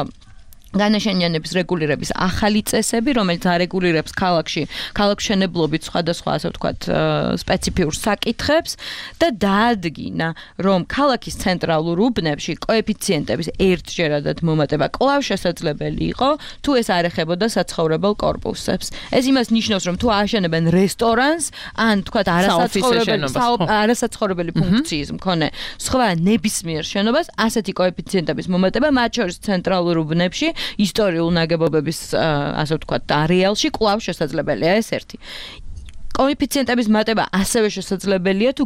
განაშენიანების რეგულირების ახალი წესები, რომელიც არეგულირებს ქალაქში ქალაქშენებლობით სხვადასხვა, ასე ვთქვათ, სპეციფიურ საკითხებს და დაადგინა, რომ ქალაქის ცენტრალურ უბნებში კოეფიციენტების ერთჯერადად მომატება კვლავ შესაძლებელი იყო, თუ ეს არ ეხებოდა საცხოვრებელ კორპუსებს. ეს იმას ნიშნავს, რომ თუ ააშენებენ რესტორანს, ან თქვათ არასაცხოვრებელი არასაცხოვრებელი ფუნქციის მქონე სხვა ნებისმიერ შენობას, ასეთი კოეფიციენტების მომატება, მათ შორის ცენტრალურ უბნებში ისტორიულ ნაგებობების, ასე ვთქვათ, არეალში კვლავ შესაძლებელია ეს ერთი. კოეფიციენტების მატება ასევე შესაძლებელია თუ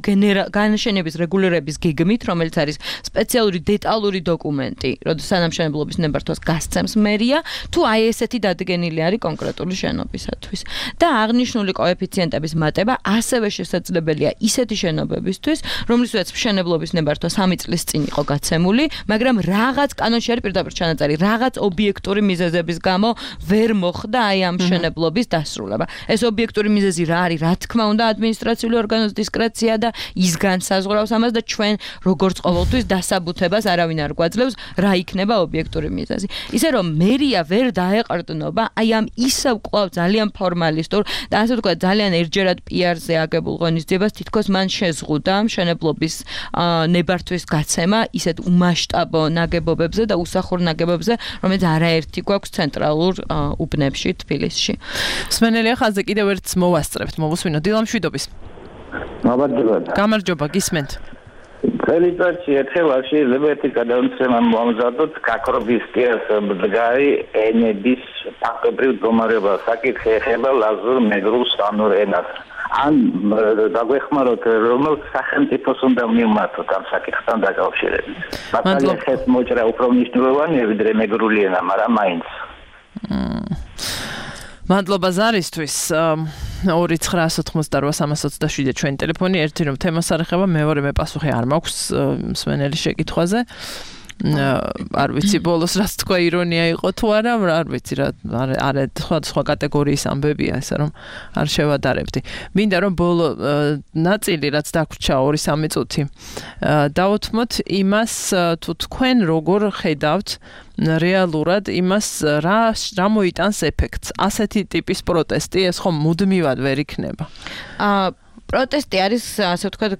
განაშენების რეგულირების გეგმით, რომელიც არის სპეციალური დეტალური დოკუმენტი, როდესაც სამშენებლობის ნებართვას გასცემს მერია, თუ აი ესეთი დადგენილი არის კონკრეტული შენობისათვის. და აღნიშნული კოეფიციენტების მატება ასევე შესაძლებელია ისეთი შენობებისთვის, რომლისთვისაც მშენებლობის ნებართვა სამი წლის წინ იყო გაცემული, მაგრამ რაღაც კანონში არის პირდაპირ ჩანაწერი, რაღაც ობიექტური მიზეზების გამო ვერ მოხდა აი ამ მშენებლობის დასრულება. ეს ობიექტური მიზეზი რა არის? რა თქმა უნდა, ადმინისტრაციული ორგანოს დისკრეცია და ის განსაზღვრავს ამას და ჩვენ როგორც ყოველთვის დასაბუთებას არავინ არ გვაძლევს, რა იქნება ობიექტური მიზეზი. ისე რომ მერია ვერ დაეყრდნობა აი ამ ისევ კვლავ ძალიან ფორმალისტურ და ასე ვთქვათ, ძალიან ერთჯერად პიარზე აგებულ ღონისძიებას თითქოს მან შეზღუდა მშენებლობის ნებართვის გაცემა ისეთ უმასშტაბო ნაგებობებზე და უსახურ ნაგებობებზე, რომელიც არაერთი გვაქვს ცენტრალურ უბნებში თბილისში. მსმენელია ხაზზე კიდევ ერთს მოვასწრებთ. მოვუსვინოთ დილა მშვიდობის. მადლობა. გამარჯობა, გისმენთ. წელიწადში ერთხელ არ შეიძლება ერთი გადამცემა მომზადოთ გაქრობისკიას ბრძგარი ენების ფაქტობრივ მდგომარეობა. საკითხი ეხება ლაზურ მეგრულ სანურ ენას. ან დაგვეხმაროთ, რომელ სახელმწიფოს უნდა მივმართოთ ამ საკითხთან დაკავშირებით. მართალია ხეს მოჭრა უფრო მნიშვნელოვანია ვიდრე მეგრული ენა, მაგრამ მაინც. მადლობა ზარისთვის. ორი ცხრაას ოცდაოთხ სამას ოცდაშვიდი ჩვენი ტელეფონი, ერთი რომ თემას არ ეხება, მეორე მე პასუხი არ მაქვს მსმენელი შეკითხვაზე. არ ვიცი ბოლოს რაც თქვა ირონია იყო თუ არა, არ ვიცი რა არა სხვა სხვა კატეგორიის ამბებია ესე რომ არ შევადარებდი. მინდა რომ ბოლო ნაწილი რაც დაგვრჩა ორი სამი წუთი დავუთმოთ იმას თუ თქვენ როგორ ხედავთ რეალურად იმას რა რა მოიტანს ეფექტს ასეთი ტიპის პროტესტი ეს ხომ მუდმივად ვერ იქნება. აა პროტესტი არის, ასე ვთქვათ,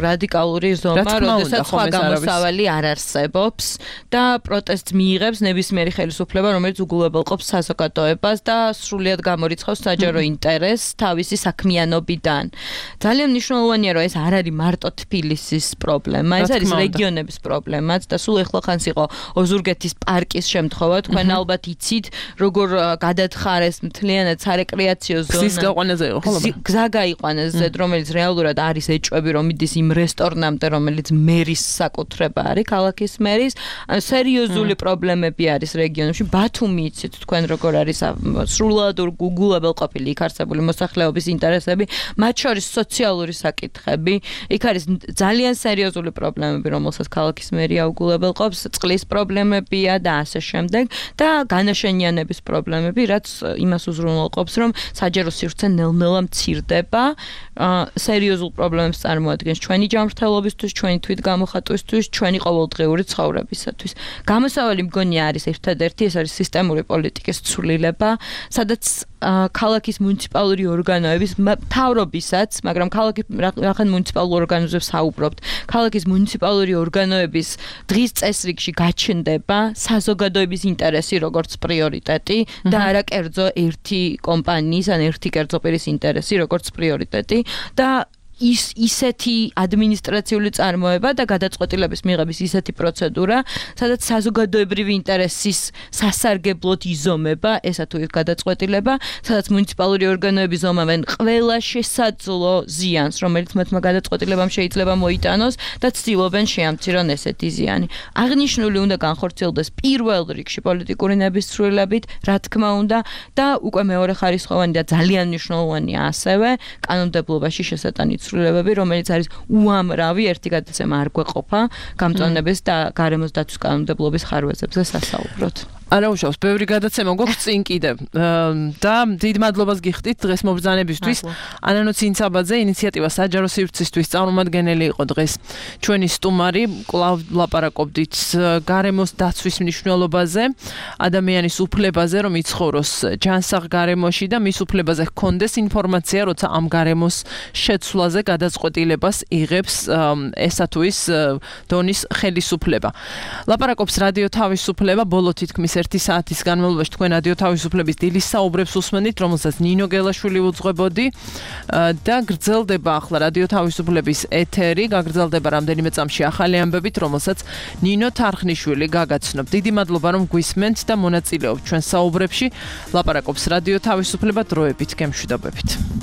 რადიკალური ზომა, როდესაც სხვა გამოსავალი არ არსებობს და პროტესტს მიიღებს ნებისმიერი ხელისუფლება, რომელიც უგულებელყოფს საზოგადოებას და სრულიად გამორიცხავს საჯარო ინტერესს თავისი საქმიანობიდან. ძალიან მნიშვნელოვანია, რომ ეს არ არის მარტო თბილისის პრობლემა, ეს არის რეგიონების პრობლემაც და სულ ეხლახანს იყო ოზურგეთის პარკის შემთხვევა, თქვენ ალბათ იცით, როგორ გადათხარეს მთლიანად სარეკრეაციო ზონა. გზის გაყვანაზე იყო, ხო? გზა გაიყვანეს ზედ რომელიც რეალურად არის ეჭვები, რომ მიდის იმ რესტორნამდე, რომელიც მერის საკუთრება არის, ქალაქის მერის, ანუ სერიოზული პრობლემები არის რეგიონებში. ბათუმი იცით თქვენ როგორ არის სრულად უგულებელყოფილი იქ არსებული მოსახლეობის ინტერესები, მათ შორის სოციალური საკითხები, იქ არის ძალიან სერიოზული პრობლემები, რომელსაც ქალაქის მერია უგულებელყოფს, წყლის პრობლემებია და ასე შემდეგ და განაშენიანების პრობლემები, რაც იმას უზრუნველყოფს, რომ საჯარო სივრცე ნელ-ნელა მცირდება. სერიოზულ პრობლემებს წარმოადგენს ჩვენი ჯანმრთელობისთვის, ჩვენი თვითგამოხატვისთვის, ჩვენი ყოველდღიური ცხოვრებისათვის. გამოსავალი მგონია არის ერთადერთი, ეს არის სისტემური პოლიტიკის ცვლილება, სადაც ქალაქის მუნიციპალური ორგანოების მთავრობისაც, მაგრამ ქალაქის რახან მუნიციპალურ ორგანოებს საუბრობთ, ქალაქის მუნიციპალური ორგანოების დღის წესრიგში გაჩნდება საზოგადოების ინტერესი როგორც პრიორიტეტი და არა კერძო ერთი კომპანიის ან ერთი კერძო პირის ინტერესი როგორც პრიორიტეტი და ის ისეთი ადმინისტრაციული წარმოება და გადაწყვეტილების მიღების ისეთი პროცედურა, სადაც საზოგადოებრივი ინტერესის სასარგებლოდ იზომება ესა თუ ის გადაწყვეტილება, სადაც მუნიციპალური ორგანოები ზომავენ ყველა შესაძლო ზიანს, რომელიც მათმა გადაწყვეტილებამ შეიძლება მოიტანოს და ცდილობენ შეამცირონ ესეთი ზიანი. აღნიშნული უნდა განხორციელდეს პირველ რიგში პოლიტიკური ნებისმსრულებით, რა თქმა უნდა, და უკვე მეორე ხარისხოვანი და ძალიან მნიშვნელოვანია ასევე კანონმდებლობაში შესატანით ცვლილებები, რომელიც არის უამრავი ერთი გადაცემა არ გვეყოფა გამწვანების და გარემოს დაცვის კანონმდებლობის ხარვეზებზე სასაუბროთ. არა უშავს, ბევრი გადაცემა გვაქვს წინ კიდევ. და დიდ მადლობას გიხდით დღეს მობრძანებისთვის. ანანო ცინცაბაძე ინიციატივა საჯარო სივრცისთვის წარმომადგენელი იყო დღეს ჩვენი სტუმარი. კვლავ ლაპარაკობდით გარემოს დაცვის მნიშვნელობაზე, ადამიანის უფლებაზე, რომ იცხოვროს ჯანსაღ გარემოში და მის უფლებაზე ჰქონდეს ინფორმაცია, როცა ამ გარემოს შეცვლაზე გადაწყვეტილებას იღებს ესა თუ ის დონის ხელისუფლება. ლაპარაკობს რადიო თავისუფლება, ბოლო თითქმის ერთი საათის განმავლობაში თქვენ რადიო თავისუფლების დილის საუბრებს უსმენთ, რომელსაც ნინო გელაშვილი უძღვებოდი და გრძელდება ახლა რადიო თავისუფლების ეთერი, გაგრძელდება რამდენიმე წამში ახალი ამბებით, რომელსაც ნინო თარხნიშვილი გაგაცნობ. დიდი მადლობა რომ გვისმენთ და მონაწილეობთ ჩვენ საუბრებში. ლაპარაკობს რადიო თავისუფლება, დროებით გემშვიდობებით.